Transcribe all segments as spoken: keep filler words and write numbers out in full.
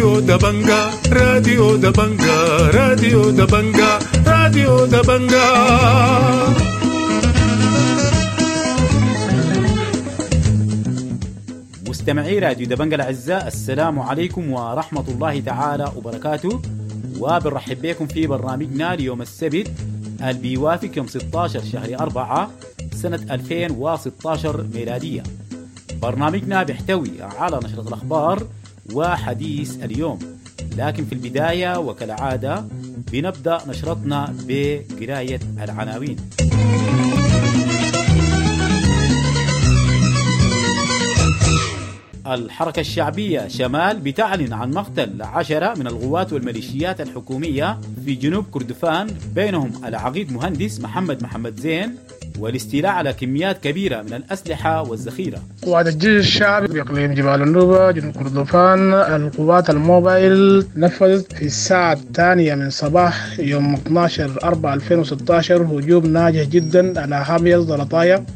راديو دبنجا راديو دبنجا راديو دبنجا راديو دبنجا. مستمعي راديو دبنجا الأعزاء، السلام عليكم ورحمة الله تعالى وبركاته، وبنرحب بكم في برنامجنا ليوم السبت اللي بيوافق يوم ستة عشر شهر أربعة سنة ألفين وستة عشر ميلادية. برنامجنا بيحتوي على نشرة الأخبار وحديث اليوم، لكن في البداية وكالعادة بنبدأ نشرتنا بقراية العناوين. الحركة الشعبية شمال بتعلن عن مقتل عشرة من الغوات والميليشيات الحكومية في جنوب كردفان، بينهم العقيد مهندس محمد محمد زين، والاستيلاء على كميات كبيرة من الأسلحة والذخيرة. قوات الجيش الشعبي بإقليم جبال النوبة جنوب كردفان، القوات الموبايل نفذت في الساعة الثانية من صباح يوم اثني عشر أربعة ألفين وستة عشر هجوم ناجح جدا على حامية زلطايا.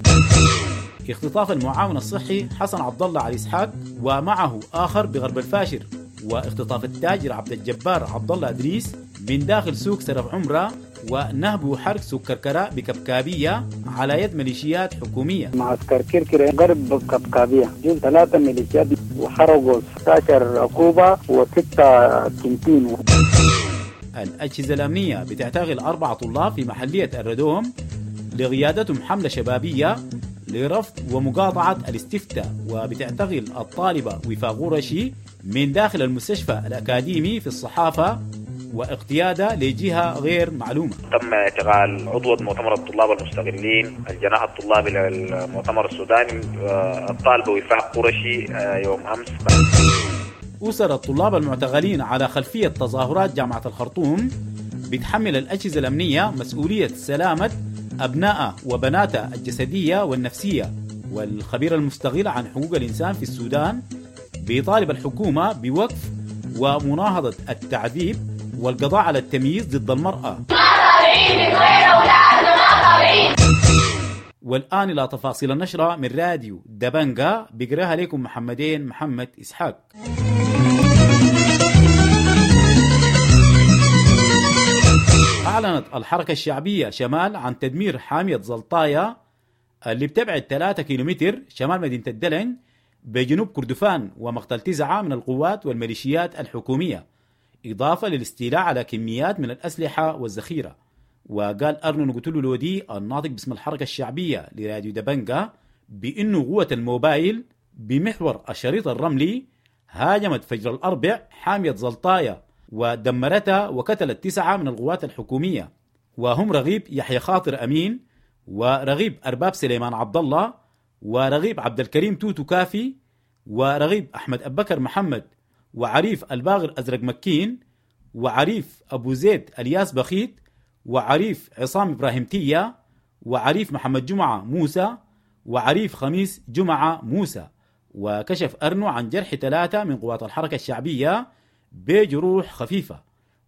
اختطاف المعاون الصحي حسن عبد الله علي اسحاق ومعه آخر بغرب الفاشر، واختطاف التاجر عبد الجبار عبد الله ادريس من داخل سوق سرف عمره، ونهب وحرق سوق كركراء بكبكابية على يد ميليشيات حكومية. معسكر كركرة غرب كبكابية جول ثلاثة ميليشيات وحرقوا ستة عشر عقوبة وستة كنتين. الأجهزة الأمنية بتعتقل أربعة طلاب في محلية الردوم لقيادتهم حملة شبابية لرفض ومقاطعة الاستفتاء، وبتعتقل الطالبة وفاء غرشي من داخل المستشفى الأكاديمي في الصحافة واقتيادة لجهة غير معلومة. تم اعتقال عضوة مؤتمر الطلاب المستقلين الجناح الطلابي للمؤتمر السوداني الطالبة وفاء قرشي يوم أمس. أسر الطلاب المعتقلين على خلفية تظاهرات جامعة الخرطوم بتحمل الأجهزة الأمنية مسؤولية سلامة أبناء وبناتها الجسدية والنفسية. والخبير المستقل عن حقوق الإنسان في السودان بيطالب الحكومة بوقف ومناهضة التعذيب والقضاء على التمييز ضد المرأة. والآن إلى تفاصيل النشرة من راديو دبنجا، بقراها لكم محمدين محمد إسحاق. أعلنت الحركة الشعبية شمال عن تدمير حامية زلطايا اللي بتبعد ثلاثة كيلومتر شمال مدينة الدلن بجنوب كردفان، ومقتل تسعة من القوات والميليشيات الحكومية، إضافة للاستيلاء على كميات من الأسلحة والذخيرة. وقال أرنو نقتلو لودي الناطق باسم الحركة الشعبية لراديو دبنجا بأنه قوة الموبايل بمحور الشريط الرملي هاجمت فجر الأربع حامية زلطايا ودمرتها وقتلت تسعة من القوات الحكومية، وهم رغيب يحيى خاطر أمين، ورغيب أرباب سليمان عبد الله، ورغيب عبد الكريم توتو كافي، ورغيب أحمد أبكر محمد، وعريف الباغر أزرق مكين، وعريف أبو زيد الياس بخيت، وعريف عصام إبراهيم تيا، وعريف محمد جمعة موسى، وعريف خميس جمعة موسى. وكشف أرنو عن جرح ثلاثة من قوات الحركة الشعبية بجروح خفيفة.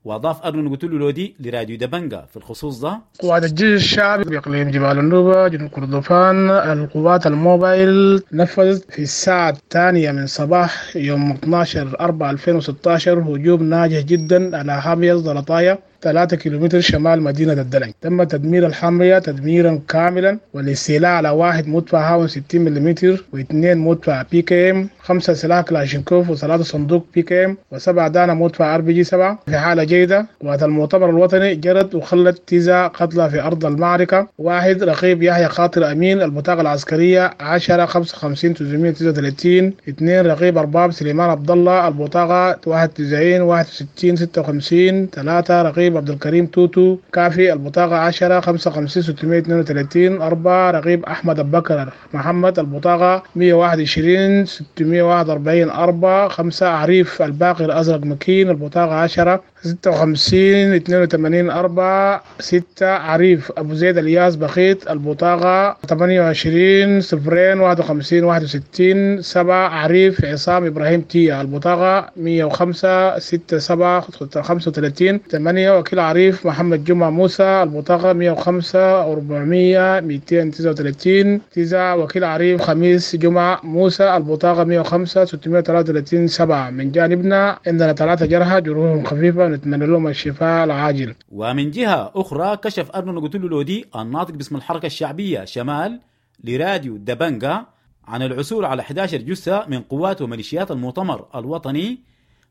وأضاف أرنو نقتلو لودي لراديو دبنجا في الخصوص ده: قوات الجيش الشعبي بإقليم جبال النوبة جنوب كردفان، القوات الموبايل نفذت في الساعة الثانية من صباح يوم اثني عشر أربعة ألفين وستة عشر هجوم ناجح جدا على حامية زلطايا ثلاثة كيلومتر شمال مدينة الدلنج. تم تدمير الحامية تدميرا كاملا والاستيلاء على واحد مدفع هاون ستين ملم واثنين مدفع PKM، خمسة سلاح كلاشينكوف وثلاثة صندوق PKM، وسبعة دانة مدفع RPG سبعة في حالة جيدة. قوات المؤتمر الوطني جرت وخلت تسعة قتلى في أرض المعركة، واحد رقيب يحيى خاطر أمين البطاقة العسكرية عشرة خمسة وخمسين تسعمية وتسعة وثلاثين، اثنين رقيب أرباب سليمان عبد الله البطاقة واحد وتسعين واحد وستين ستة وخمسين، ثلاثة رقيب عبد الكريم توتو كافي البطاقة عشرة خمسة وخمسين ستمية اثنين وثلاثين، أربعة رقيب أحمد أبكر محمد البطاقة مية وواحد وعشرين ستمية وواحد وأربعين، أربعة خمسة عريف الباقر أزرق مكين البطاقة عشرة ستة وخمسين اثنين وثمانين، أربعة ستة عريف أبو زيد الياس بخيت البطاقة ثمانية وعشرين صفرين واحد وخمسين واحد وستين، سبعة عريف عصام إبراهيم تيا البطاقة مية وخمسة ستة سبعة خمسة وثلاثين، ثمانية. وكيل عريف محمد جمعة موسى البطاقة مية وخمسة أربعمية ميتين تسعة وتلاتين تسعة، وكيل عريف خميس جمعة موسى البطاقة مية وخمسة ستمية وتلاتة وتلاتين سبعة. من جانبنا عندنا ثلاثة جرحى جروحهم خفيفة نتمنى لهم الشفاء العاجل. ومن جهة أخرى كشف أرنو نقتلو لودي الناطق باسم الحركة الشعبية شمال لراديو دبنجا عن العثور على إحدى عشر جثة من قوات وميليشيات المؤتمر الوطني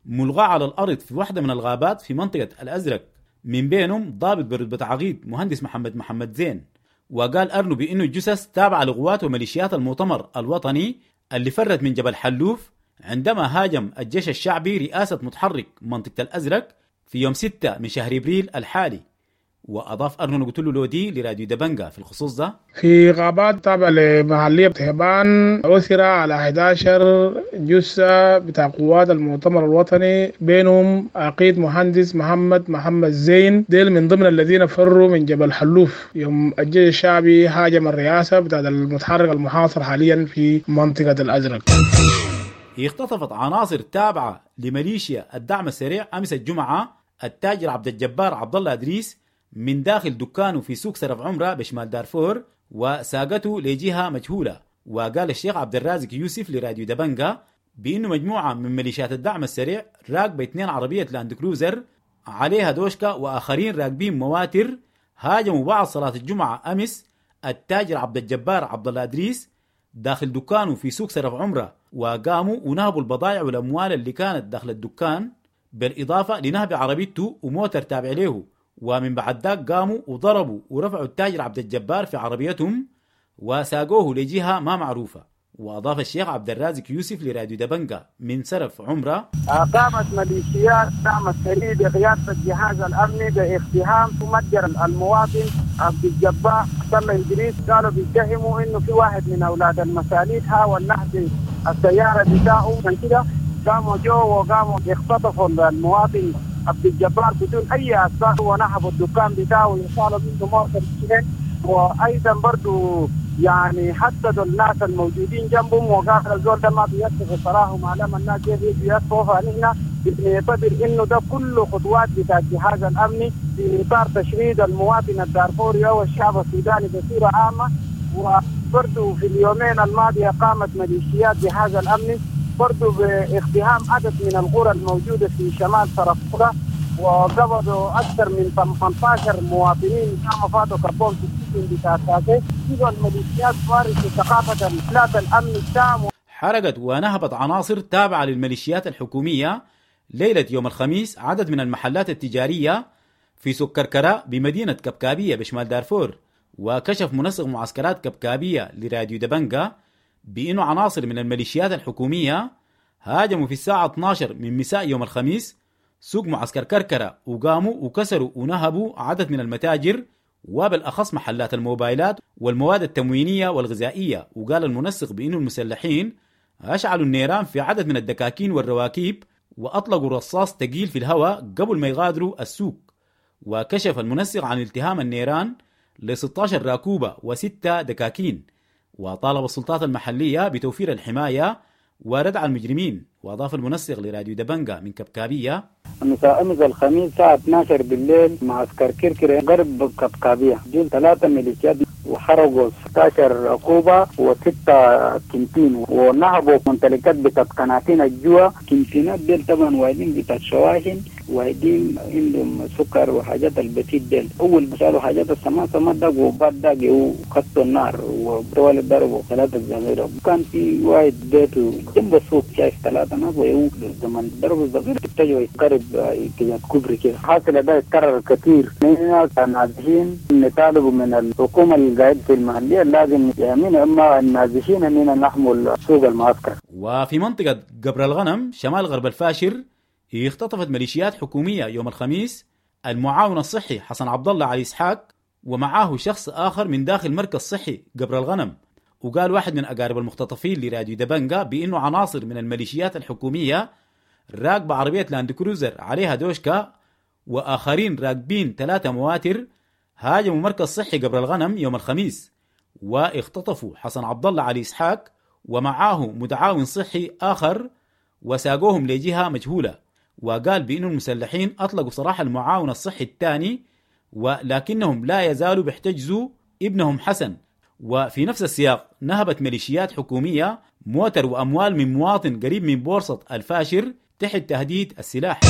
ملغاة على الأرض في واحدة من الغابات في منطقة الأزرق، من بينهم ضابط برتبة عقيد مهندس محمد محمد زين. وقال أرنو بأنه الجثث تابعة لقوات وميليشيات المؤتمر الوطني اللي فرت من جبل حلوف عندما هاجم الجيش الشعبي رئاسة متحرك منطقة الأزرق في يوم ستة من شهر إبريل الحالي. وأضاف أرنو نقتلو لودي لراديو دبنجا في الخصوص ده: في غابات تابعة لمحلية تهبان عثر على إحدى عشر جثة بتاع قوات المؤتمر الوطني، بينهم عقيد مهندس محمد محمد زين، ديل من ضمن الذين فروا من جبل حلوف يوم الجيش الشعبي هاجم الرئاسة بتاع المتحرك المحاصر حاليا في منطقة الأزرق. اختطفت عناصر تابعة لميليشيا الدعم السريع أمس الجمعة التاجر عبد الجبار عبد الله إدريس من داخل دكانه في سوق سرف عمرة بشمال دارفور وساقته لجهة مجهولة. وقال الشيخ عبد الرازق يوسف لراديو دبنجا بأنه مجموعة من ميليشيات الدعم السريع راكبة اثنين عربية لاند كروزر عليها دوشكا وآخرين راكبين مواتر هاجموا بعد صلاة الجمعة أمس التاجر عبد الجبار عبد الله إدريس داخل دكانه في سوق سرف عمرة، وقاموا ونهبوا البضائع والأموال اللي كانت داخل الدكان، بالإضافة لنهب عربيته وموتر تابع له. ومن بعد ذاك قاموا وضربوا ورفعوا التاجر عبد الجبار في عربيتهم وساقوه لجهة ما معروفة. وأضاف الشيخ عبد الرازق يوسف لراديو دبنجا من سرف عمرة: قامت ميليشيات دعم السريع بقيادة الجهاز الأمني باقتحام متجر المواطن عبد الجبار عبد الله إدريس. قالوا بيتهموا إنه في واحد من أولاد المساليت حاول نهب السيارة بتاعه، عشان كده قاموا جو وقاموا اختطفوا المواطن عبد الجبار بدون أي أسباب ونهبوا الدكان بتاعه وصالوا منه موتر اثنين، وأيضا برضو يعني حددوا الناس الموجودين جنبهم وقالوا الزول ده ما بيصف صراحه ما لما الناس يجوا يصفوا. فنحن بنعتبر انه ده كله خطوات بتاع الجهاز الامني في اطار تشريد المواطن الدارفوري او الشعب السوداني بصوره عامه. وبرضو في اليومين الماضيه قامت ميليشيات جهاز الامني برضو باقتحام عدد من القرى الموجوده في شمال سرفورة وقبضوا اكثر من ثمانية عشر مواطنين كانوا فاتوا كبون في السجن بتاع تاسي. الميليشيات فارست ثقافه الافلات الامن التام. حرقت ونهبت عناصر تابعه للميليشيات الحكوميه ليله يوم الخميس عدد من المحلات التجاريه في سوق كركرة بمدينه كبكابيه بشمال دارفور. وكشف منسق معسكرات كبكابيه لراديو دبنجا بأنه عناصر من الميليشيات الحكومية هاجموا في الساعة اثنا عشر من مساء يوم الخميس سوق معسكر كركرة وقاموا وكسروا ونهبوا عدد من المتاجر وبالأخص محلات الموبايلات والمواد التموينية والغذائية. وقال المنسق بأنه المسلحين أشعلوا النيران في عدد من الدكاكين والرواكيب وأطلقوا رصاص ثقيل في الهواء قبل ما يغادروا السوق. وكشف المنسق عن التهام النيران ل ستة عشر راكوبة وستة دكاكين، وطالب السلطات المحلية بتوفير الحماية وردع المجرمين. وأضاف المنسق لراديو دبنجا من كبكابية: مساء أمس الخميس الساعة اثنا عشر بالليل معسكر كركرة غرب كبكابية جيل ثلاثة ميليشيات وحرقوا ستة عشر ركوبة وستة كنتين ونهبوا ممتلكات بتاعت قناتين الجوا. كنتينات ديل طبعا وايدين بتاعت شواحن وايدين عندهم سكر وحاجات البسيط ديل. أول ما شالوا حاجات السماء سماء دقوا وبعد دقوا وخطوا النار وطوال ضربوا ثلاثة زغيرة. كان في واحد بيته جنب السوق شايف ثلاثة ناس ويو زمان ضربوا الزغير اتجهوا يقرب كده كوبري كده. حاصل ده يتكرر كثير. نحن نازحين نطالب من الحكومة القاعدة في المحلية لازم يأمين أما النازحين أننا نحمل سوق المعسكر. وفي منطقة قبر الغنم شمال غرب الفاشر اختطفت ميليشيات حكومية يوم الخميس المعاون الصحي حسن عبد الله علي إسحاق ومعاه شخص آخر من داخل مركز صحي قبر الغنم. وقال واحد من أقارب المختطفين لراديو دبنجا بأنه عناصر من الميليشيات الحكومية راكبة عربية لاند كروزر عليها دوشكا وآخرين راكبين ثلاثة مواتر هاجموا مركز صحي قبر الغنم يوم الخميس واختطفوا حسن عبد الله علي إسحاق ومعاه متعاون صحي آخر وساقوهم لجهة مجهولة. وقال بأن المسلحين أطلقوا سراح المعاون الصحي الثاني، ولكنهم لا يزالوا بيحتجزوا ابنهم حسن. وفي نفس السياق نهبت ميليشيات حكومية موتر وأموال من مواطن قريب من بورصة الفاشر تحت تهديد السلاح.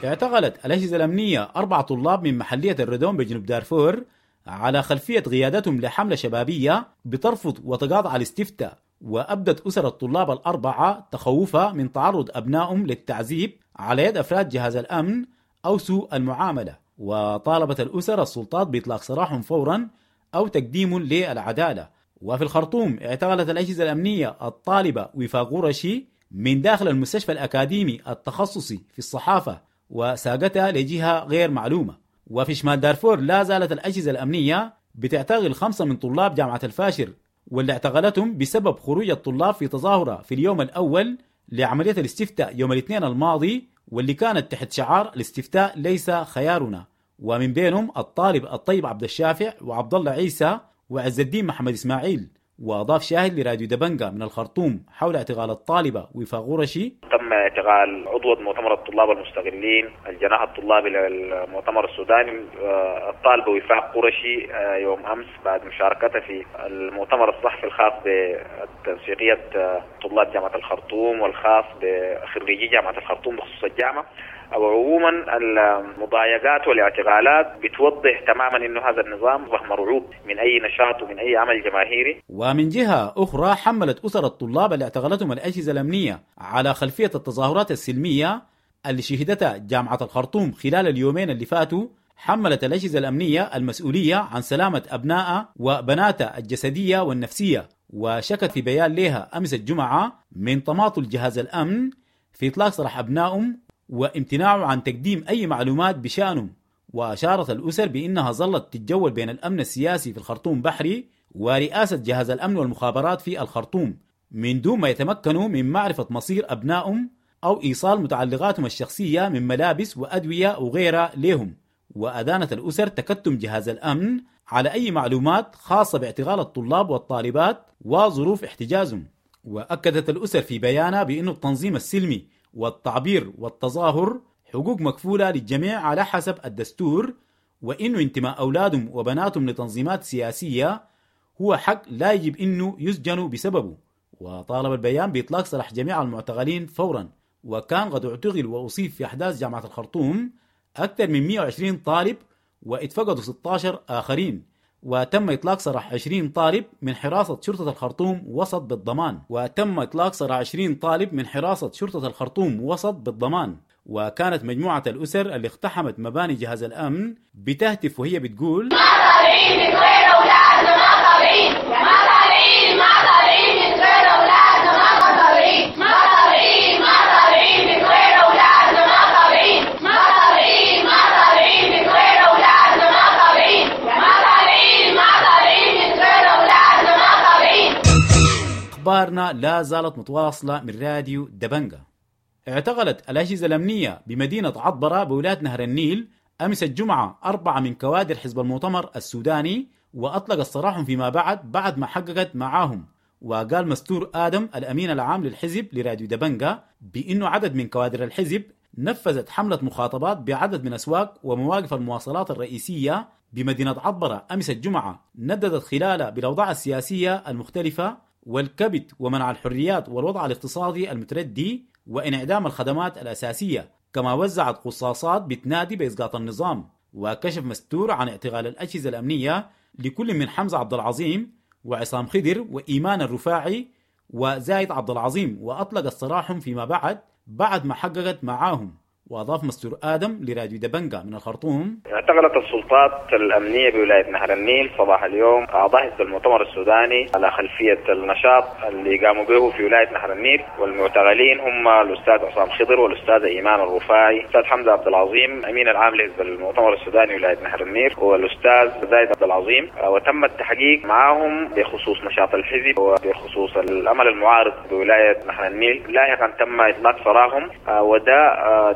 اعتقلت الأجهزة الأمنية أربع طلاب من محلية الردوم بجنوب دارفور على خلفية قيادتهم لحملة شبابية بترفض وتقاطع الاستفتاء، وأبدت أسر الطلاب الأربعة تخوفها من تعرض أبنائهم للتعذيب على يد أفراد جهاز الأمن أو سوء المعاملة، وطالبت الأسر السلطات بإطلاق سراحهم فورا أو تقديم للعدالة. وفي الخرطوم اعتقلت الأجهزة الأمنية الطالبة وفاق قرشي من داخل المستشفى الأكاديمي التخصصي في الصحافة وساقتها لجهة غير معلومة. وفي شمال دارفور لا زالت الأجهزة الأمنية بتعتقل خمسة من طلاب جامعة الفاشر، واللي اعتقلتهم بسبب خروج الطلاب في تظاهرة في اليوم الأول لعملية الاستفتاء يوم الاثنين الماضي، واللي كانت تحت شعار الاستفتاء ليس خيارنا، ومن بينهم الطالب الطيب عبد الشافع وعبد الله عيسى وعز الدين محمد إسماعيل. وأضاف شاهد لراديو دبنجا من الخرطوم حول اعتقال الطالبة وفاق قرشي: تم اعتقال عضوة مؤتمر الطلاب المستقلين الجناح الطلابي للمؤتمر السوداني الطالبة وفاق قرشي يوم أمس بعد مشاركتها في المؤتمر الصحفي الخاص بتنسيقية طلاب جامعة الخرطوم والخاص بخريجي جامعة الخرطوم بخصوص الجامعة. وعموما المضايقات والاعتقالات بتوضح تماما انه هذا النظام مرعوب من اي نشاط ومن اي عمل جماهيري. ومن جهة اخرى حملت اسر الطلاب اللي اعتقلتهم الاجهزة الامنية على خلفية التظاهرات السلمية اللي شهدتها جامعه الخرطوم خلال اليومين اللي فاتوا، حملت الاجهزة الامنية المسؤولية عن سلامه ابنائها وبناتها الجسدية والنفسية، وشكت في بيان لها امس الجمعة من تماطل جهاز الامن في اطلاق سراح ابنائهم وامتناعه عن تقديم أي معلومات بشأنهم. وأشارت الأسر بأنها ظلت تتجول بين الأمن السياسي في الخرطوم بحري ورئاسة جهاز الأمن والمخابرات في الخرطوم من دون ما يتمكنوا من معرفة مصير أبنائهم أو إيصال متعلقاتهم الشخصية من ملابس وأدوية وغيرها لهم. وأدانت الأسر تكتم جهاز الأمن على أي معلومات خاصة باعتقال الطلاب والطالبات وظروف احتجازهم. وأكدت الأسر في بيانها بأن التنظيم السلمي والتعبير والتظاهر حقوق مكفولة للجميع على حسب الدستور، وإنه انتماء أولادهم وبناتهم لتنظيمات سياسية هو حق لا يجب إنه يسجنوا بسببه. وطالب البيان بإطلاق سراح جميع المعتقلين فورا. وكان قد اعتقل وأصيب في أحداث جامعة الخرطوم أكثر من مئة وعشرين طالب واتفقدوا ستة عشر آخرين، وتم إطلاق سراح عشرين طالب من حراسة شرطة الخرطوم وسط بالضمان. وتم إطلاق سراح عشرين طالب من حراسة شرطة الخرطوم وسط بالضمان. وكانت مجموعة الأسر اللي اقتحمت مباني جهاز الأمن بتهتف وهي بتقول: ما طالعين من غير أولادنا، ما طالعين، ما طالعين، ما طالعين من غير أولادنا، ما طالعين، ما طالعين، ما طالعين من غير أولادنا، ما طالعين، ما طالعين، ما طالعين من غير أولادنا، ما طالعين، ما طالعين، ما طالعين من غير أولادنا، ما طالعين. أخبارنا لا زالت متواصلة من راديو دبنجا. اعتقلت الأجهزة الأمنية بمدينة عطبرة بولاية نهر النيل أمس الجمعة أربعة من كوادر حزب المؤتمر السوداني، وأطلق السراحهم فيما بعد بعد ما حققت معاهم. وقال مستور آدم الأمين العام للحزب لراديو دبنجا بأنه عدد من كوادر الحزب نفذت حملة مخاطبات بعدد من أسواق ومواقف المواصلات الرئيسية بمدينة عطبرة أمس الجمعة، نددت خلالها بالأوضاع السياسية المختلفة والكبت ومنع الحريات والوضع الاقتصادي المتردي وانعدام الخدمات الأساسية، كما وزعت قصاصات بتنادي بإسقاط النظام. وكشف مستور عن اعتقال الأجهزة الأمنية لكل من حمزة عبد العظيم وعصام خضر وإيمان الرفاعي وزايد عبد العظيم، وأطلق السراحهم فيما بعد بعد ما حققت معاهم. وأضاف مستور آدم لراديو دبنجا من الخرطوم: اعتقلت السلطات الأمنية بولاية نهر النيل صباح اليوم أعضاء حزب المؤتمر السوداني على خلفية النشاط اللي قاموا به في ولاية نهر النيل، والمعتقلين هم الأستاذ عصام خضر والأستاذ إيمان الرفاعي، الأستاذ حمزة عبد العظيم أمين العام لحزب المؤتمر السوداني ولاية نهر النيل، والأستاذ زايد عبد العظيم. وتم التحقيق معهم بخصوص نشاط الحزب وبخصوص الأمل المعارض بولاية نهر النيل. لاحقا تم إطلاق سراحهم، وده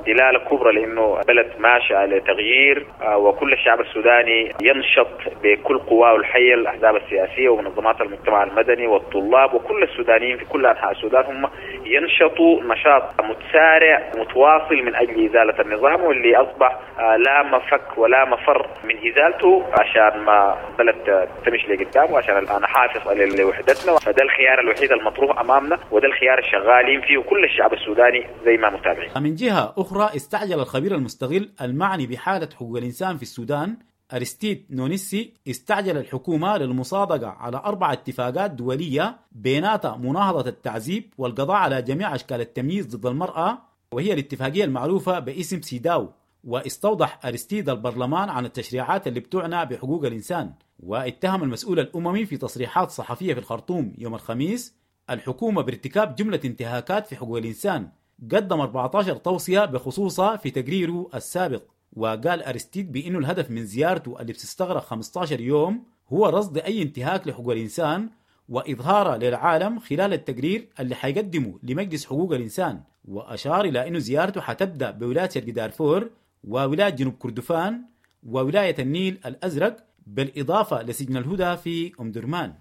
دلالة رسالة كبرى لأنه بلد ماشي على تغيير، وكل الشعب السوداني ينشط بكل قواه الحية، الأحزاب السياسية ومنظمات المجتمع المدني والطلاب وكل السودانيين في كل أنحاء السودان هم ينشطوا نشاط متسارع متواصل من أجل إزالة النظام، واللي أصبح لا مفك ولا مفر من إزالته عشان ما بلد تمشي لقدام وعشان نحافظ على وحدتنا. فده الخيار الوحيد المطروح أمامنا، وده الخيار الشغالين فيه كل الشعب السوداني زي ما متابعين. من جهة أخرى استعجل الخبير المستغل المعني بحالة حقوق الإنسان في السودان أرستيد نونيسي استعجل الحكومة للمصادقة على أربع اتفاقات دولية بيناتها مناهضة التعذيب والقضاء على جميع أشكال التمييز ضد المرأة، وهي الاتفاقية المعروفة باسم سيداو. واستوضح أرستيد البرلمان عن التشريعات اللي بتعنى بحقوق الإنسان، واتهم المسؤول الأممي في تصريحات صحفية في الخرطوم يوم الخميس الحكومة بارتكاب جملة انتهاكات في حقوق الإنسان، قدم أربعة عشر توصية بخصوصها في تقريره السابق. وقال أرستيد بأنه الهدف من زيارته اللي بتستغرق خمسة عشر يوم هو رصد أي انتهاك لحقوق الإنسان وإظهاره للعالم خلال التقرير اللي حيقدمه لمجلس حقوق الإنسان. وأشار إلى أنه زيارته حتبدأ بولاية شرق دارفور وولاية جنوب كردفان وولاية النيل الأزرق، بالإضافة لسجن الهدى في أم درمان.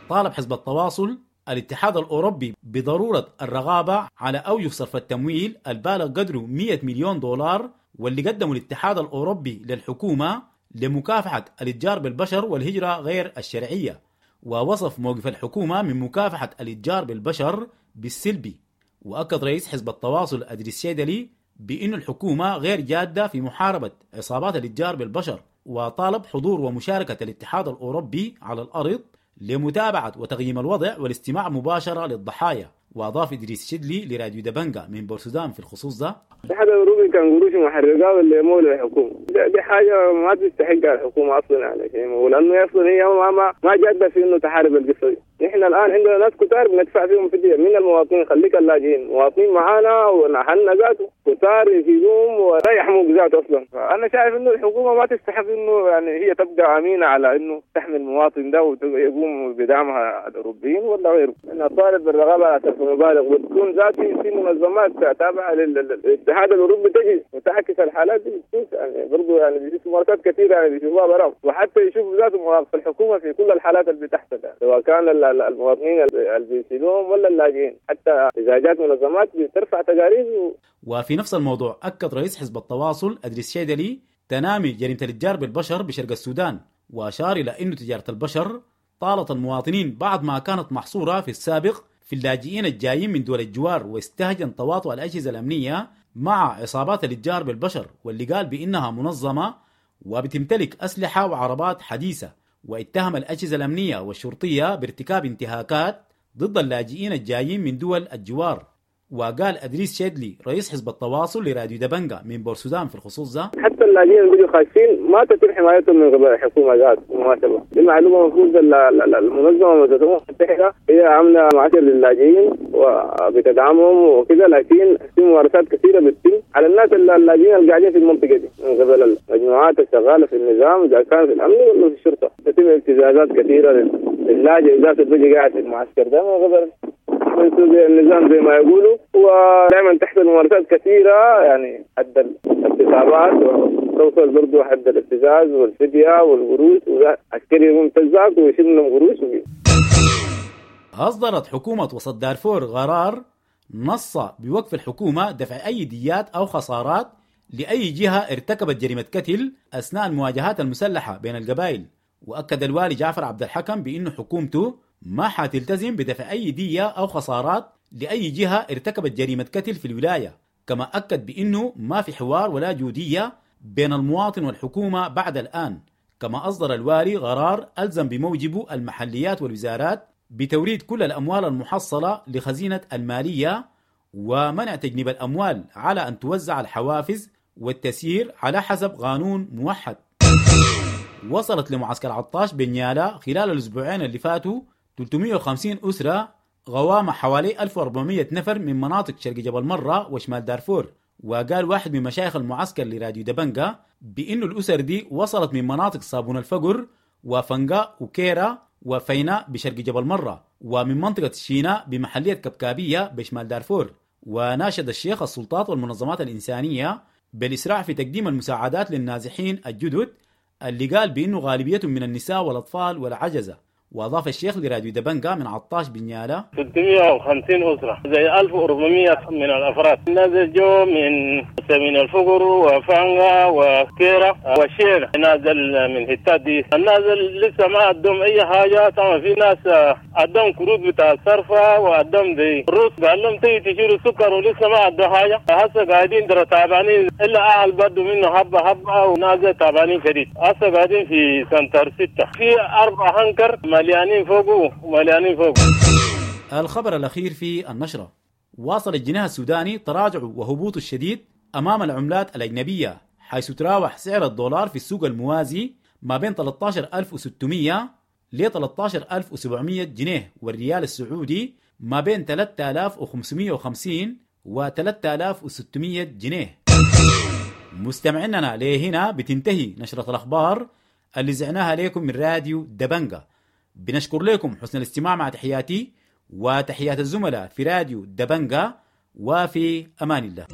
طالب حزب التواصل الاتحاد الأوروبي بضرورة الرغابة على أوجه صرف التمويل البالغ قدره مئة مليون دولار واللي قدمه الاتحاد الأوروبي للحكومة لمكافحة الاتجار بالبشر والهجرة غير الشرعية. ووصف موقف الحكومة من مكافحة الاتجار بالبشر بالسلبي. وأكد رئيس حزب التواصل أدريس شيدلي بأن الحكومة غير جادة في محاربة عصابات الاتجار بالبشر، وطالب حضور ومشاركة الاتحاد الأوروبي على الأرض لمتابعة وتقييم الوضع والاستماع مباشرة للضحايا. وأضاف إدريس شدلي لراديو دبنجا من بورسودان في الخصوص ده: الاتحاد الأوروبي كان قروش محرقة ولا مول الحكومة، دي حاجة ما تستحقها الحكومة أصلا يعني، ولأنه أصلا هي ما ما ما جادة في إنه تحارب القصة دي. نحن الآن عندنا ناس كتار بندفع فيهم فدية من المواطنين، خليك اللاجئين مواطنين معانا ونحن ذاته كتار يفيدوهم ولا يحموك ذاته أصلا. فأنا شايف إنه الحكومة ما تستحق إنه يعني هي تبقى أمينة على إنه تحمي المواطن ده ويقوم بدعمها الأوروبيين ولا غيره. أنا طالب بالرغبة على صرف مبالغ وتكون ذاتي في منظمات تابعة للاتحاد الأوروبي تجي وتعكس الحالات دي، يعني برضه يعني بيشوفوا ممارسات كثيرة يعني بيشوفوها براهم، وحتى يشوفوا ذاته مواقف الحكومة في كل الحالات اللي بتحصل يعني، سواء كان المواطنين اللي بيشيلوهم ولا اللاجئين، حتى إذا جات منظمات بترفع تقارير و... وفي نفس الموضوع أكد رئيس حزب التواصل أدريس شيدلي تنامي جريمة الاتجار بالبشر بشرق السودان، وأشار إلى أن تجارة البشر طالت المواطنين بعد ما كانت محصورة في السابق في اللاجئين الجايين من دول الجوار، واستهجن تواطؤ الأجهزة الأمنية مع عصابات الاتجار بالبشر واللي قال بأنها منظمة وبتمتلك أسلحة وعربات حديثة. واتهم الأجهزة الأمنية والشرطية بارتكاب انتهاكات ضد اللاجئين الجايين من دول الجوار. وقال أدريس شيدلي رئيس حزب التواصل لراديو دبنجا من بورسودان في الخصوص ده: حتى اللاجئين اللي بيجوا خايفين ما تتم حمايتهم من قبل الحكومة ذات بالمناسبة. دي معلومة المفروض المنظمة المتحدة هي عاملة معسكر للاجئين وبتدعمهم وكذا، لكن في ممارسات كثيرة بتتم على الناس اللاجئين اللي قاعدين في المنطقة دي من قبل المجموعات الشغالة في النظام إذا كان في الأمن ولا في الشرطة. تتم ابتزازات كثيرة للاجئ ذات اللي بيجي قاعد في المعسكر ده من قبل النظام زي ما يقولوا، ودائما تحصل ممارسات كثيرة يعني حد الاغتصابات وتوصل برضو حد الابتزاز والفدية والقروش، وعسكري يقوم تزاك ويشيل منهم قروش. أصدرت حكومة وسط دارفور قرار نص بوقف الحكومة دفع أي ديات أو خسارات لأي جهة ارتكبت جريمة قتل أثناء المواجهات المسلحة بين القبائل. وأكد الوالي جعفر عبد الحكم بأنه حكومته ما حتلتزم بدفع أي دية أو خسارات لأي جهة ارتكبت جريمة قتل في الولاية، كما أكد بأنه ما في حوار ولا جودية بين المواطن والحكومة بعد الآن. كما أصدر الوالي قرار ألزم بموجبه المحليات والوزارات بتوريد كل الأموال المحصلة لخزينة المالية ومنع تجنيب الأموال على أن توزع الحوافز والتسيير على حسب قانون موحد. وصلت لمعسكر عطاش بنيالا خلال الأسبوعين اللي فاتوا ثلاثمئة وخمسين أسرة غوامة حوالي ألف وأربعمئة نفر من مناطق شرق جبل مرة وشمال دارفور. وقال واحد من مشايخ المعسكر لراديو دبنجا بأنه الأسر دي وصلت من مناطق صابون الفقر وفنقاء وكيرا وفيناء بشرق جبل مرة، ومن منطقة الشيناء بمحلية كبكابية بشمال دارفور. وناشد الشيخ السلطات والمنظمات الإنسانية بالإسراع في تقديم المساعدات للنازحين الجدد اللي قال بأنه غالبيتهم من النساء والأطفال والعجزة. وأضاف الشيخ لراديو دبنجا من عطاش بنيالة: ستمية وخمسين أسرة زي ألف وأربعمية من الأفراد نازل جو من سمين الفقر وفانغا وكيرة وشيرة، نازل من حتات دي. النازل لسه ما عندهم أي حاجة. طبعا في ناس عندهم كروت بتاع الصرفة وعندهم زي الروس قال لهم تيجي تشيلوا سكر ولسه ما عندهم حاجة. هسه قاعدين ترى تعبانين، إلا أهل بدوا منه حبة حبة ونازل تعبانين شديد. هسه قاعدين في سنتر ستة في أربع هنكر مليانين فوقه ومليانين فوقه. الخبر الأخير في النشرة: واصل الجنيه السوداني تراجعه وهبوطه الشديد أمام العملات الأجنبية، حيث تراوح سعر الدولار في السوق الموازي ما بين ثلاثة عشر ألف وستمية ل ثلاثة عشر ألف وسبعمية جنيه، والريال السعودي ما بين ثلاثة آلاف وخمسمية وخمسين و ثلاثة آلاف وستمية جنيه. مستمعيننا لهنا بتنتهي نشرة الأخبار اللي زعناها لكم من راديو دبنجا. بنشكر لكم حسن الاستماع، مع تحياتي وتحيات الزملاء في راديو دبنجا، وفي أمان الله.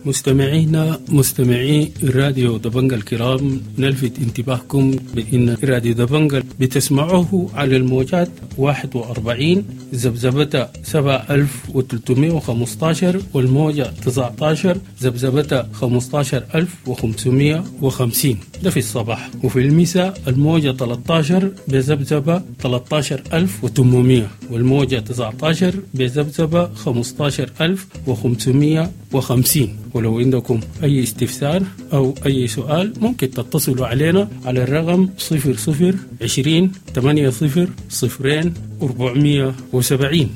مستمعينا مستمعي راديو دبنجا الكرام، نلفت انتباهكم بأن راديو دبنجا بتسمعوه على الموجات واحد وأربعين ذبذبة سبعة ألف وثلاثمية وخمستاشر والموجة تسعتاشر ذبذبة خمستاشر ألف وخمسمية وخمسين، ده في الصباح. وفي المساء الموجة ثلاثتاشر بذبذبة ثلاثتاشر ألف وثمانمية والموجة تسعتاشر بذبذبة خمستاشر ألف وخمسمية وخمسين. ولو عندكم أي استفسار أو أي سؤال ممكن تتصلوا علينا على الرقم صفر صفر عشرين ثمانية صفر صفرين أربعمية وسبعين،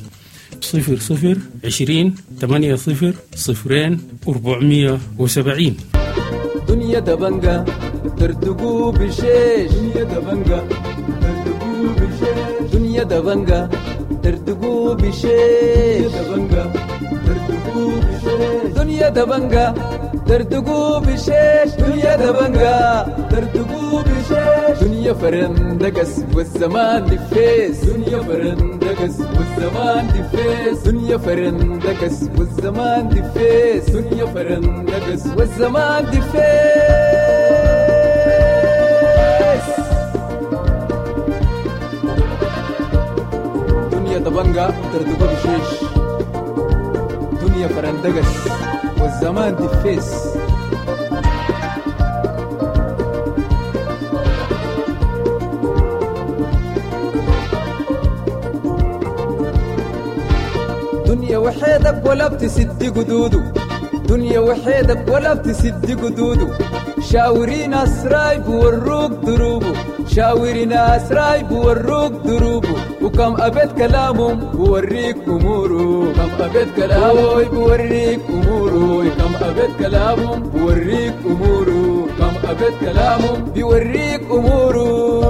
صفر صفر عشرين ثمانية صفر صفرين أربعمية وسبعين. دنيا دبنجا ترتقو بشيش، دنيا دبنجا ترتقو بشيش، دنيا دبنجا ترتقو بشيش، دبنجا ترتقو بشيش، دنيا دبنجا ترتقو بشيش، دنيا دبنجا ترتقو بشيش، دنيا فرندقس والزمان دفيس، دنيا فرندقس والزمان دفيس، دنيا فرندقس والزمان دفيس، دنيا فرندقس والزمان دفيس. دنيا دبنجا ترتقو بشيش، دنيا فرندقس والزمان دفيس. دنيا وحيدك ولا بتسد قدوده، دنيا وحيدك ولا بتسد قدوده، شاوري ناس رايب وروك دروبه، شاوري ناس رايب وروك دروبه، وكم أبيت كلامهم بوريك أموره، كم أبيت كلامه بوريك أموره، كم أبيت كلامهم بوريك أموره، كم أبيت كلامهم بيوريك أموره.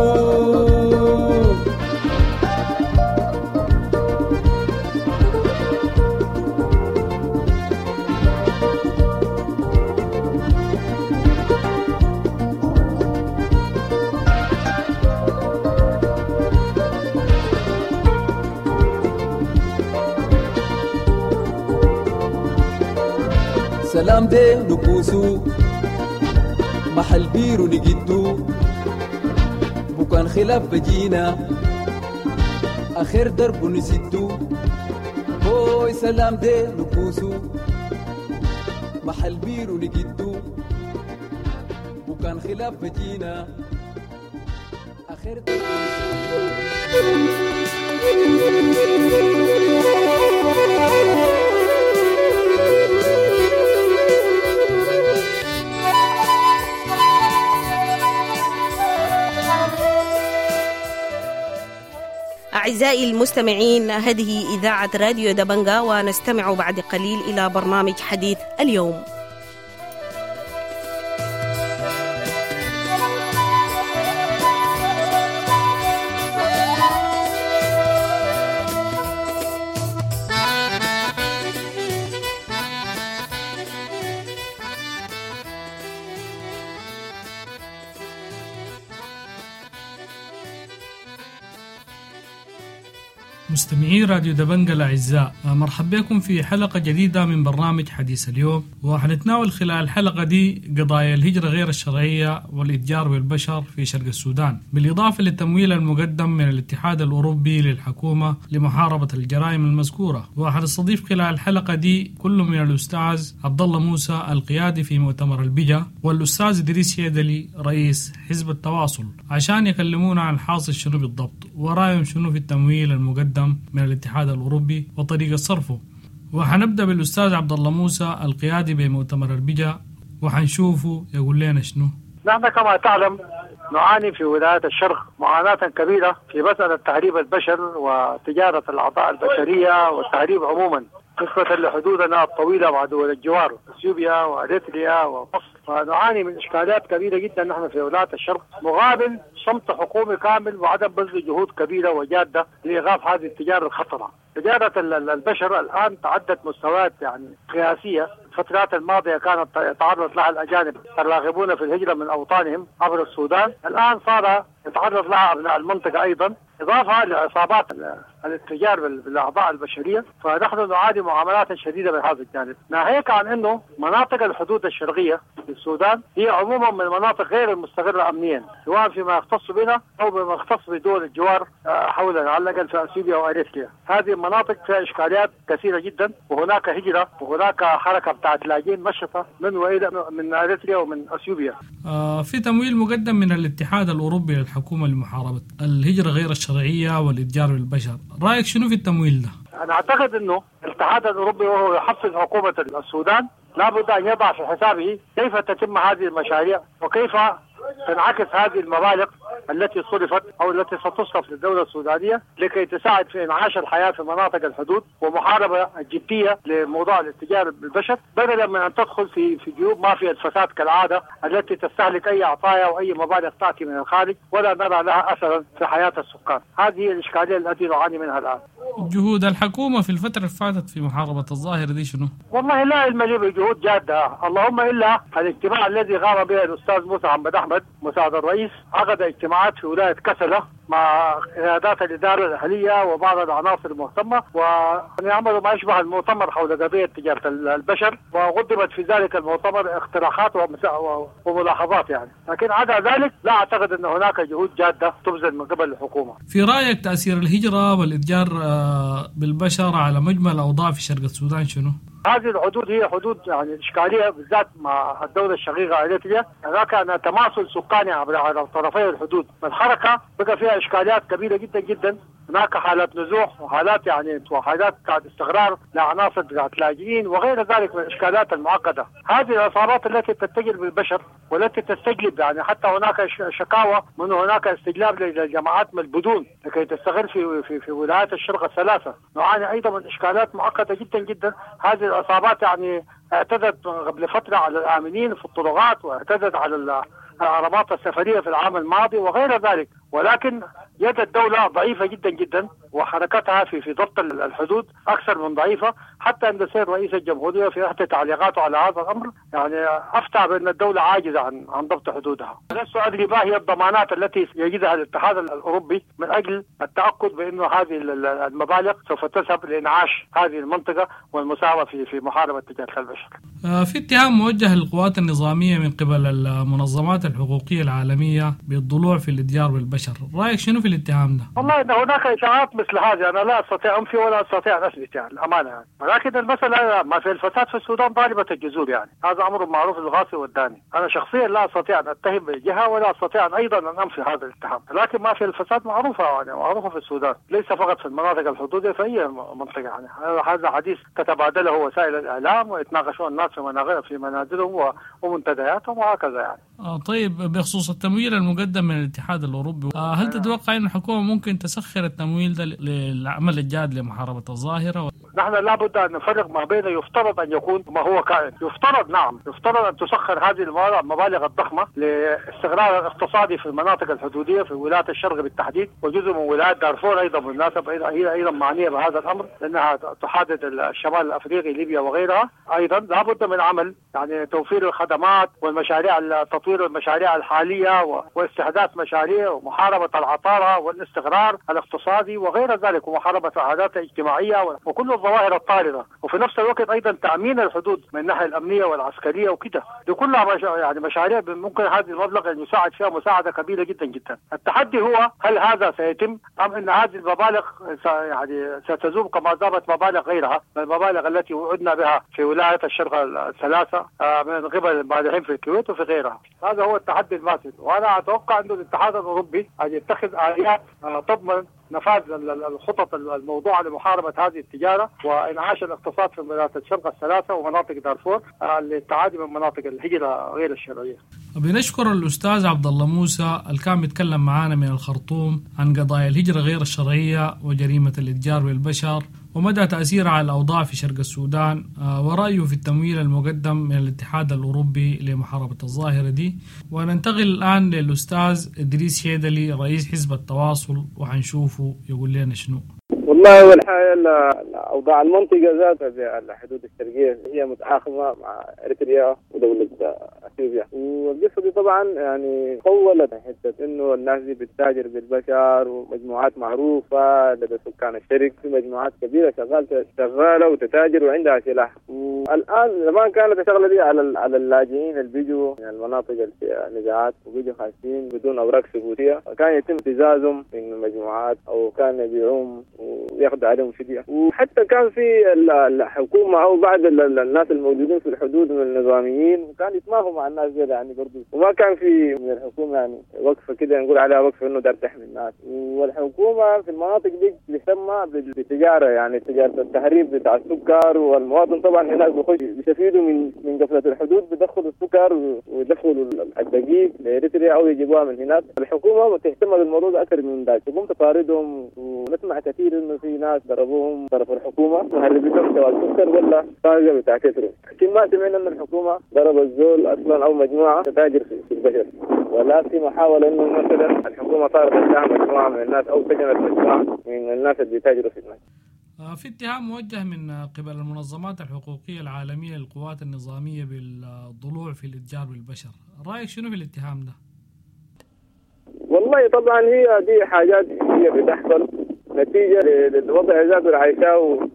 سلام دي نكوسو محل بيرو نجدو، بكان خلاف بجينا آخر درب نسدو، هوي سلام دي نكوسو محل بيرو نجدو، بكان خلاف بجينا آخر درب نسدو. أعزائي المستمعين، هذه إذاعة راديو دبنجا، ونستمع بعد قليل إلى برنامج حديث اليوم. مستمعي راديو دبنجة الأعزاء، مرحبا بكم في حلقة جديدة من برنامج حديث اليوم، وحنتناول خلال الحلقة دي قضايا الهجرة غير الشرعية والإتجار بالبشر في شرق السودان، بالإضافة للتمويل المقدم من الاتحاد الأوروبي للحكومة لمحاربة الجرائم المذكورة. وحنستضيف خلال الحلقة دي كل من الأستاذ عبد الله موسى القيادي في مؤتمر البجا، والأستاذ إدريس شيدلي رئيس حزب التواصل، عشان يكلمونا عن حاصل شنو بالضبط ورأيهم شنو في التمويل المقدم من الاتحاد الأوروبي وطريقة صرفه. وحنبدأ بالأستاذ عبد الله موسى القيادي بمؤتمر البجا، وحنشوفه يقول لنا شنو. نحن كما تعلم نعاني في ولايات الشرق معاناة كبيرة في مسألة تهريب البشر وتجارة الأعضاء البشرية والتهريب عموما، نسبة لحدودنا الطويلة مع دول الجوار اثيوبيا واريتريا ومصر. فنعاني من اشكاليات كبيرة جدا نحن في ولايات الشرق، مقابل صمت حكومي كامل وعدم بذل جهود كبيرة وجاده لايقاف هذه التجارة الخطرة. تجارة البشر الان تعدت مستويات يعني قياسية. الفترات الماضية كانت يتعرض لها الاجانب الراغبون في الهجرة من اوطانهم عبر السودان، الان صار يتعرض لها ابناء المنطقة ايضا، اضافه لعصابات الاتجار بالاعضاء البشرية. فنحن نعاني معاملات شديدة من هذا الجانب، ناهيك عن انه مناطق الحدود الشرقية في السودان هي عموما من المناطق غير المستقره امنيا، سواء فيما يختص بنا او بما يختص بدول الجوار حولنا، على الاقل في اثيوبيا واريتريا. هذه المناطق فيها اشكاليات كثيرة جدا، وهناك هجره وهناك حركة بتاعت لاجئين نشطة من والى من اريتريا ومن اثيوبيا. آه في تمويل مقدم من الاتحاد الاوروبي للحكومة لمحاربة الهجرة غير الشرعية والاتجار بالبشر، رايك شنو في التمويل ده؟ انا اعتقد انه الاتحاد الاوروبي وهو يحفز حكومة السودان لابد ان يضع في حسابه كيف تتم هذه المشاريع وكيف تنعكس هذه المبالغ التي صرفت او التي ستصرف للدولة السودانية لكي تساعد في انعاش الحياة في مناطق الحدود ومحاربه الجدية لموضوع الاتجار بالبشر، بدلا من ان تدخل في في جيوب مافيا الفساد كالعادة التي تستهلك اي عطايا واي مبالغ تاتي من الخارج ولا نرى لها اثرا في حياة السكان. هذه الاشكالية التي نعاني منها الان. جهود الحكومة في الفترة اللي فاتت في محاربة الظاهرة دي شنو؟ والله لا علم لي بجهود جاده، اللهم الا الاجتماع الذي قام به الاستاذ موسى محمد احمد مساعد الرئيس، عقد اجتماعات في ولاية كسله مع قيادات الإدارة الأهلية وبعض العناصر المهتمة، ويعملوا ما يشبه المؤتمر حول قضية تجارة البشر، وقدمت في ذلك المؤتمر اقتراحات وملاحظات يعني، لكن عدا ذلك لا أعتقد أن هناك جهود جادة تبذل من قبل الحكومة. في رأيك تأثير الهجرة والإتجار بالبشر على مجمل الأوضاع في شرق السودان شنو؟ هذه الحدود هي حدود يعني إشكالية بالذات مع الدولة الشقيقة أريتريا، هناك أن تماثل سكاني عبر على طرفي الحدود، فالحركة بقى فيها إشكاليات كبيرة جدا جدا، هناك حالات نزوح وحالات يعني وحالات بتاعت استقرار لعناصر بتاعت لاجئين وغير ذلك من الإشكالات المعقدة. هذه العصابات التي تتجر بالبشر والتي تستجلب، يعني حتى هناك شكاوى من هناك استجلاب للجماعات من البدون لكي تستغل في في في ولايات الشرق الثلاثة. نعاني أيضا من إشكالات معقدة جدا جدا. هذه العصابات يعني اعتدت قبل فترة على الآمنين في الطرقات واعتدت على العربات السفرية في العام الماضي وغير ذلك، ولكن يد الدولة ضعيفة جدا جدا وحركتها في في ضبط الحدود أكثر من ضعيفة، حتى أن السيد رئيس الجمهورية في إحدى تعليقاته على هذا الأمر يعني أفتى بأن الدولة عاجزة عن عن ضبط حدودها. لست أدري ما هي الضمانات التي يجدها الاتحاد الأوروبي من أجل التأكد بأن هذه المبالغ سوف تذهب لإنعاش هذه المنطقة والمساهمة في في محاربة تجارة البشر. في اتهام موجه للقوات النظامية من قبل المنظمات الحقوقية العالمية بالضلوع في الاتجار بالبشر، رأيك شنو في الاتهام ده؟ والله إن هناك إشاعات مثل هذه أنا لا أستطيع أنفي ولا أستطيع أن أثبت يعني الأمانة يعني. ولكن المسألة ما في الفساد في السودان ضاربة الجذور يعني، هذا أمر معروف للغاصي والداني. أنا شخصيا لا أستطيع أن أتهم جهة ولا أستطيع أن أيضا أن أنفي هذا الاتهام، لكن ما في الفساد معروفة يعني معروفة في السودان، ليس فقط في المناطق الحدودية، في أي منطقة يعني. هذا حديث تتبادله وسائل الإعلام ويتناقشون الناس في في منازلهم ومنتدياتهم وهكذا يعني. آه طيب، بخصوص التمويل المقدم من الاتحاد الأوروبي، آه هل تتوقع أن الحكومة ممكن تسخر التمويل ده للعمل الجاد لمحاربة الظاهرة؟ نحن لابد أن نفرق ما بين يفترض أن يكون وما هو كائن. يفترض، نعم يفترض أن تسخر هذه المبالغ الضخمة لاستقرار الاقتصادي في المناطق الحدودية في ولاية الشرق بالتحديد، وجزء من ولاية دارفور أيضا بالمناسبة هي أيضا معنية بهذا الأمر لأنها تحدد الشمال الأفريقي ليبيا وغيرها. أيضا لابد من عمل يعني توفير الخدمات والمشاريع، تطوير المشاريع الحالية واستحداث مشاريع ومحاربة العطارة والاستقرار الاقتصادي وغير ذلك، ومحاربة العادات الاجتماعية وكل الظواهر الطاردة، وفي نفس الوقت أيضا تأمين الحدود من الناحية الأمنية والعسكرية وكده. دي كلها يعني مشاريع ممكن هذا المبلغ أن يساعد فيها مساعدة كبيرة جدا جدا. التحدي هو هل هذا سيتم أم أن هذه المبالغ يعني ستذوب كما ذابت مبالغ غيرها من المبالغ التي وعدنا بها في ولاية الشرق الثلاثة من قبل المانحين في الكويت وفي غيرها. هذا هو التحدي الماسد، وأنا أتوقع أن الاتحاد الأوروبي أن يتخذ آليات تضمن نفاذ الخطط الموضوعة لمحاربة هذه التجارة وإنعاش الاقتصاد في ولايات الشرق الثلاثة ومناطق دارفور للتعادي من مناطق الهجرة غير الشرعية. بنشكر الأستاذ عبد الله موسى اللي كان بيتكلم معانا من الخرطوم عن قضايا الهجرة غير الشرعية وجريمة الإتجار بالبشر ومدى تأثيرها على الأوضاع في شرق السودان، ورأيه في التمويل المقدم من الاتحاد الأوروبي لمحاربة الظاهرة دي. وننتقل الآن للأستاذ إدريس شيدلي رئيس حزب التواصل، وحنشوفه يقول لنا شنو. والله أول حاجة أوضاع المنطقة ذاتها في الحدود الشرقية هي متآخمة مع إريتريا ودولة أثيوبيا، والقصة دي طبعا يعني طولت حتة إنه الناس دي بتتاجر بالبشر ومجموعات معروفة لدى سكان الشرق، في مجموعات كبيرة شغالة شغالة وتتاجر وعندها سلاح. والآن زمان كانت الشغلة دي على على اللاجئين اللي بيجوا من المناطق اللي فيها نزاعات وبيجوا خاشين بدون أوراق ثبوتية، كان يتم ابتزازهم من مجموعات أو كان يبيعوهم وياخذوا عليهم فدية. وحتى كان في الحكومة أو بعض الناس الموجودين في الحدود من النظاميين وكان يتماهوا مع الناس دي يعني برضو، وما كان في من الحكومة يعني وقفة كده نقول عليها وقفة إنه دار تحمي الناس. والحكومة في المناطق دي بتسمى بالتجارة، يعني تجارة التهريب بتاع السكر، والمواطن طبعا هناك بيخش بيستفيدوا من من قفلة الحدود، بيدخلوا السكر ويدخلوا الدقيق لإريتريا أو يجيبوها من هناك. الحكومة بتهتم بالموضوع ده أكثر من ذاك، تقوم تطاردهم، ونسمع كثير إنه في ناس ضربوهم طرف الحكومة مهربتهم سواء السكر ولا طاقة بتاع كترو، لكن ما سمعنا إن الحكومة ضرب الزول أصلا أو مجموعة تتاجر في البشر، ولا في محاولة إنه مثلا الحكومة طاردت لها مجموعة من الناس أو سجنت مجموعة من الناس اللي بيتاجروا في الناس. في اتهام موجه من قبل المنظمات الحقوقية العالمية للقوات النظامية بالضلوع في الاتجار بالبشر، رأيك شنو في الاتهام ده؟ والله طبعا هي دي حاجات هي بتحصل نتيجة للوضع ذاته اللي عايشاه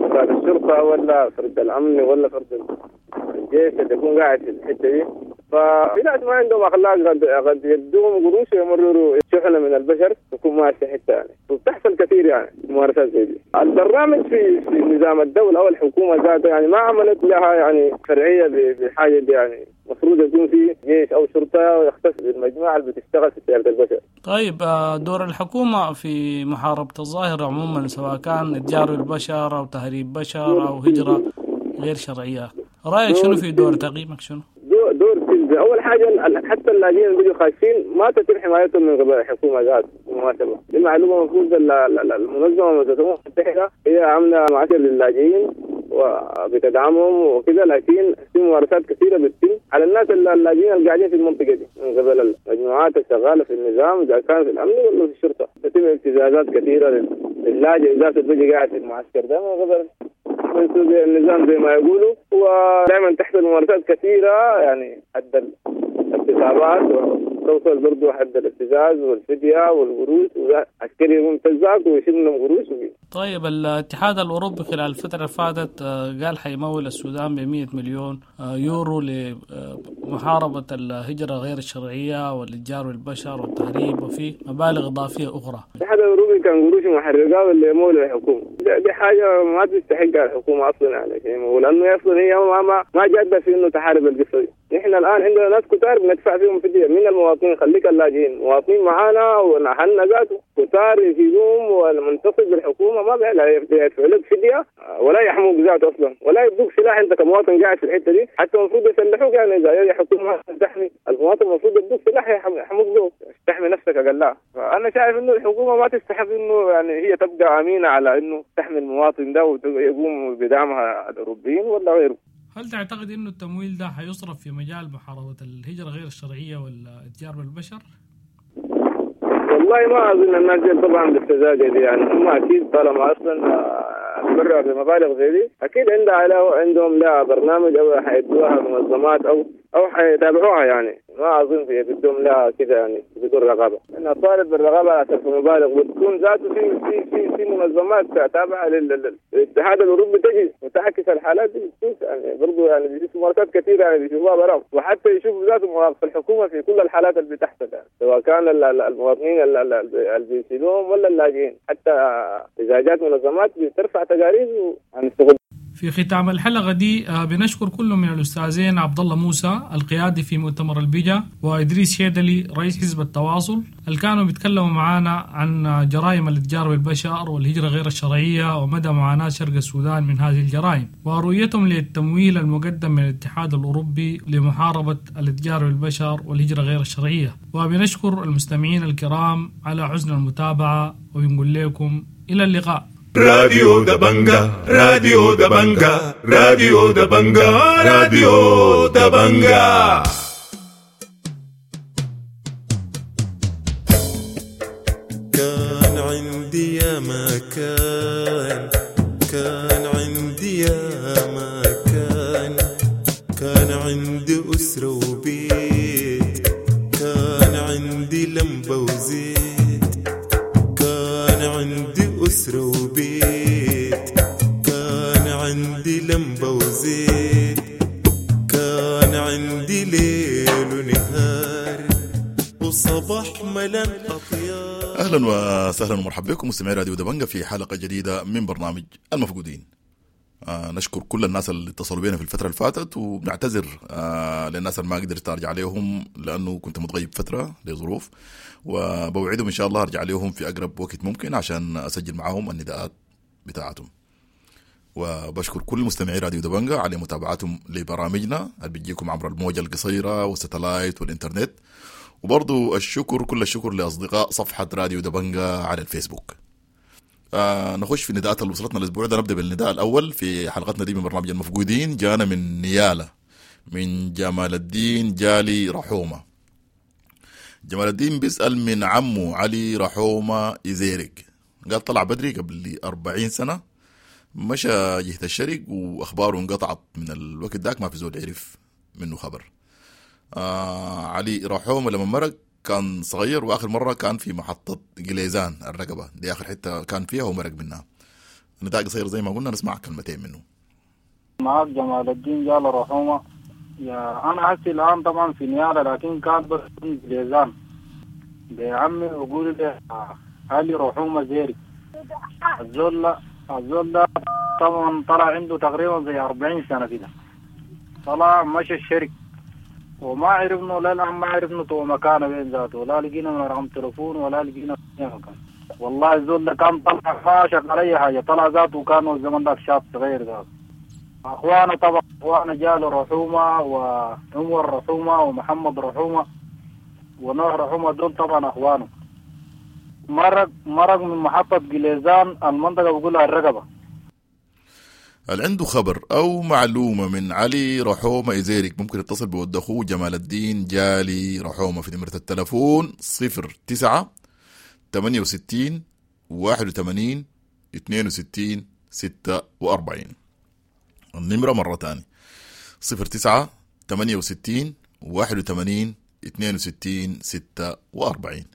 أفراد الشرطة ولا فرد الأمن ولا فرد الجيش اللي يكون قاعد في الحتة دي. ففي ناس ما عندهم أخلاق قد قد يدوهم قروش ويمرروا شحنة من البشر تكون ماشية حتة يعني، وبتحصل كثير يعني ممارسات زي دي. البرنامج في في نظام الدولة أو الحكومة ذاتها يعني ما عملت لها يعني فرعية بحاجة دي، يعني المفروض يكون في جيش أو شرطة يختص بالمجموعة اللي بتشتغل في تجارة البشر. طيب دور الحكومة في محاربة الظاهرة عموما، سواء كان إتجار البشر أو تهريب بشر أو هجرة غير شرعية، رأيك شنو في دور، تقييمك شنو؟ دور دور سلبي. أول حاجة حتى اللاجئين اللي بيجوا خايفين ما تتم حمايتهم من قبل الحكومة ذات بالمناسبة. دي معلومة المفروض المنظمة المتحدة هي عاملة معسكر للاجئين وبتدعمهم وكذا، لكن في ممارسات كثيرة بتتم على الناس اللاجئين اللي قاعدين في المنطقة دي من قبل المجموعات الشغالة في النظام إذا كان في الأمن ولا في الشرطة. تتم ابتزازات كثيرة للاجئ ذاته اللي بيجي قاعد في المعسكر ده من قبل النظام زي ما يقولوا، ودائما تحصل ممارسات كثيرة يعني حد الاغتصابات وتوصل برضو حد الابتزاز والفدية والقروش، وعسكري يقوم يبتزاك ويشيل منهم قروش. طيب الاتحاد الأوروبي خلال الفترة اللي فاتت قال حيمول السودان ب مئة مليون يورو لمحاربة الهجرة غير الشرعية والإتجار بالبشر والتهريب وفي مبالغ إضافية أخرى. الاتحاد الأوروبي كان قروش محرقة اللي يمول الحكومة، دي حاجة ما تستحقها الحكومة أصلا يعني، ولأنه أصلا هي ما ما ما جادة في إنه تحارب القصة دي. نحن الآن عندنا ناس كتار بندفع فيهم فدية من المواطنين، خليك اللاجئين مواطنين معانا ونحن ذاته كتار يفيدوهم، والمنتصب بالحكومة ما بيدفعوا لك فدية ولا يحموك ذاته أصلا ولا يدوك سلاح. أنت كمواطن قاعد في الحتة دي حتى المفروض يسلحوك، يعني إذا الحكومة تحمي المواطن المفروض يدوك سلاح يحموك به تحمي نفسك. نفسك اقلها. فانا شايف انه الحكومة ما تستحق انه يعني هي تبقى امينه على انه تحمي المواطن ده ويقوم بدعمها الاوروبيين ولا غيره. هل تعتقد انه التمويل ده حيصرف في مجال محاربة الهجرة غير الشرعية والاتجار بالبشر؟ والله ما اظن الناس دي طبعا بالسذاجه دي، يعني هم اكيد طالما اصلا تبرع بمبالغ زي دي اكيد عندها علاوه، عندهم لا برنامج او حيدوها منظمات او او حيتابعوها، يعني ما اظن في بدهم لا كده يعني بدون رقابه. انا طالب بالرقابه على صرف المبالغ، وتكون ذاته في في في في منظمات تابعه للاتحاد الاوروبي تجي وتعكس الحالات دي، بتشوف يعني برضه يعني بيشوفوا ممارسات كثيرة يعني بيشوفوها براهم، وحتى يشوفوا ذاته مواقف الحكومة في كل الحالات اللي بتحصل، يعني سواء كان المواطنين اللي بيشيلوهم ولا اللاجئين، حتى اذا جات منظمات بترفع تقارير عن الشغل. في ختام الحلقة دي بنشكر كل من الأستاذين عبد الله موسى القيادي في مؤتمر البجا وإدريس شيدلي رئيس حزب التواصل اللي كانوا بيتكلموا معانا عن جرائم الاتجار بالبشر والهجرة غير الشرعية ومدى معاناة شرق السودان من هذه الجرائم ورؤيتهم للتمويل المقدم من الاتحاد الأوروبي لمحاربة الاتجار بالبشر والهجرة غير الشرعية. وبنشكر المستمعين الكرام على حسن المتابعة وبنقول لكم إلى اللقاء. راديو دبنجا، راديو دبنجا، راديو دبنجا، راديو دبنجا. كان عندي يا مكان، كان عندي يا مكان، كان عندي أسرة وبيت، كان عندي لمبة وزيت، كان عندي أسرة وبيت، كان عندي لمبة وزيت، كان عندي ليل ونهار وصباح ملان أطيار. أهلا وسهلا ومرحبا بكم مستمعي راديو دبنجة في حلقة جديدة من برنامج المفقودين. آه نشكر كل الناس اللي اتصلوا بينا في الفترة اللي فاتت، وبنعتذر آه للناس اللي ما قدرت أرجع عليهم لأنه كنت متغيب فترة لظروف، وبوعدهم إن شاء الله أرجع عليهم في أقرب وقت ممكن عشان أسجل معاهم النداءات بتاعتهم. وبشكر كل مستمعي راديو دبنجة على متابعتهم لبرامجنا اللي بتجيكم عبر الموجة القصيرة والستلايت والإنترنت، وبرضو الشكر كل الشكر لأصدقاء صفحة راديو دبنجة على الفيسبوك. آه نخش في النداءات اللي وصلتنا الأسبوع ده. نبدأ بالنداء الأول في حلقتنا دي من برنامج المفقودين. جانا من نيالة من جمال الدين جالي رحومة. جمال الدين بيسأل من عمه علي رحومة إزيرق، قال طلع بدري قبل أربعين سنة، مشى جهة الشرق وأخباره انقطعت من الوقت داك، ما في زول عرف منه خبر. آه علي رحومة لما مرق كان صغير، واخر مرة كان في محطة جليزان الرقبة دي اخر حتة كان فيها ومرق منها. النداء قصير زي ما قلنا، نسمع كلمتين منه. معاك جمال الدين جال رحومه. يا انا هسي الان طبعا في نياله، لكن كان بس جليزان بعمي وقول لي علي رحومه زيري. الزول الزول ده طبعا طلع عنده تقريبا زي أربعين سنة كده، طلع مشى الشرق وما عرفنا لا الآن ما عرفنا تو مكانه وين ذاته، لا لقينا من رقم تليفون ولا لقينا مكان. والله الزول ده كان طلع ما شغل أي حاجة، طلع ذاته كان الزمن ذاك شاب صغير ذاته. أخوانا طبعا أخوانا جالو رحومة وعمر رحومة ومحمد رحومة ونوح رحومة، دول طبعا أخوانه. مرق مرق من محطة جليزان المنطقة بقولها الرقبة. اللي عنده خبر أو معلومة من علي رحومة إزيرك ممكن يتصل بود أخوه جمال الدين جالي رحومة في نمرة التلفون صفر تسعة ثمانية وستين واحد وثمانين اثنين وستين ستة وأربعين. النمرة مرة تانية صفر تسعة ثمانية وستين واحد وثمانين اثنين وستين ستة وأربعين.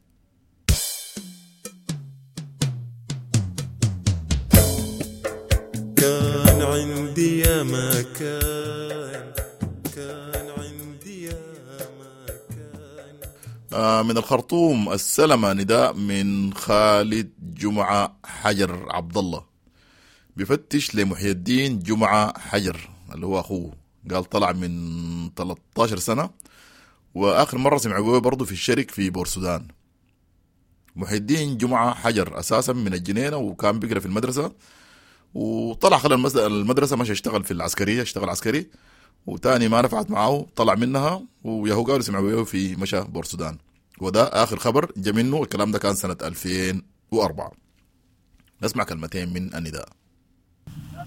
كان عندي يا مكان، كان عندي يا مكان. آه من الخرطوم السلمة نداء من خالد جمعة حجر عبد الله، بفتش لمحي الدين جمعة حجر اللي هو أخوه، قال طلع من ثلاثة عشر سنة وآخر مرة سمعوا برضه في الشرك في بورسودان. محي الدين جمعة حجر أساسا من الجنينة وكان بيقرأ في المدرسة، وطلع خلال المدرسة ماشي اشتغل في العسكرية، اشتغل عسكري وتاني ما نفعت معه طلع منها، وياهو قالوا سمعوا في مشى بورسودان. وده آخر خبر جا منه. الكلام ده كان سنة ألفين وأربعة. نسمع كلمتين من النداء.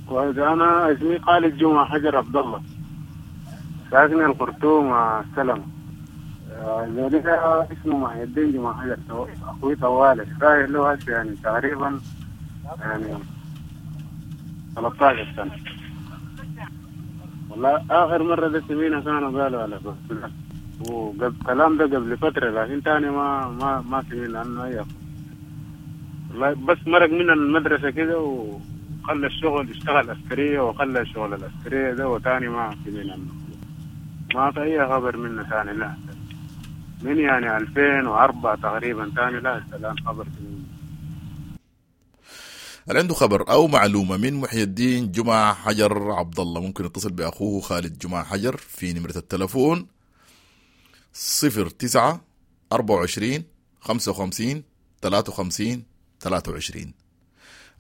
كويس، أنا اسمي خالد جمعة حجر عبد الله، ساكن الخرطوم السلام. ذلك اسمه محي الدين جمعة حجر، أخوي طوالي رايح له هسه يعني تقريبا يعني ثلاثة عشر سنة. والله آخر مرة ده سمينا كانوا قالوا على بس وقبل كلام ده قبل فترة، لكن تاني ما ما ما سمينا عنه أي. والله بس مرق من المدرسة كده وخلى الشغل، اشتغل عسكرية وخلى الشغل العسكرية ده، وتاني ما سمينا عنه، ما في أي خبر منه تاني. لا من يعني ألفين وأربعة تقريبا تاني لا الآن خبر منه. اللي عنده خبر أو معلومة من محي الدين جمعة حجر عبد الله ممكن يتصل بأخوه خالد جمعة حجر في نمرة التلفون صفر تسعة أربعة وعشرين خمسة وخمسين ثلاثة وخمسين ثلاثة وعشرين.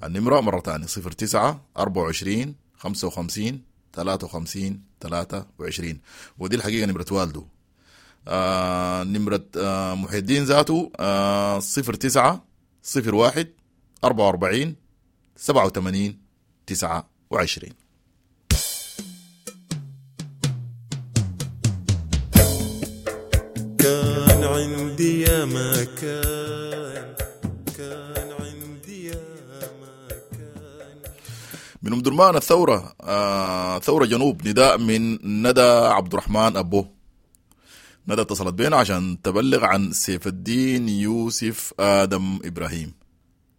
النمرة مرة تانية صفر تسعة أربعة وعشرين خمسة وخمسين ثلاثة وخمسين ثلاثة وعشرين، ودي الحقيقة نمرة والده. آه نمرة آه محي الدين ذاته آه صفر تسعة صفر واحد أربعة وأربعين سبعة وثمانين تسعة وعشرين. كان عندي يا ما كان، كان عندي يا ما كان. من أم درمان الثورة، آه ثورة جنوب، نداء من ندى عبد الرحمن أبو. ندى اتصلت بينا عشان تبلغ عن سيف الدين يوسف آدم إبراهيم،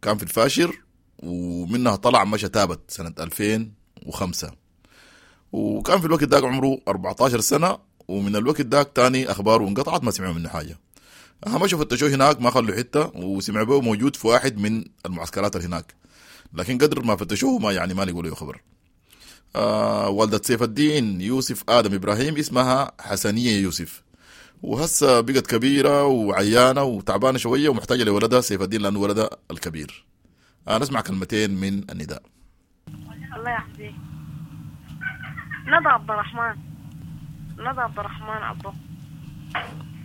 كان في الفاشر ومنها طلع مشى تابت سنة ألفين وخمسة، وكان في الوقت داك عمره أربعة عشر سنة، ومن الوقت داك تاني أخباره انقطعت ما سمعوا منه حاجة. مشوا فتشوه هناك ما خلوا حتة، وسمعوا به موجود في واحد من المعسكرات اللي هناك، لكن قدر ما فتشوه ما يعني ما لقوا له خبر. آه والدة سيف الدين يوسف آدم إبراهيم اسمها حسنية يوسف، وهسه بقت كبيرة وعيانة وتعبانة شوية ومحتاجة لولدها سيف الدين لأنه ولدها الكبير. آه نسمع كلمتين من النداء. الله يحفظك. ندى عبد الرحمن، ندى عبد الرحمن أبو،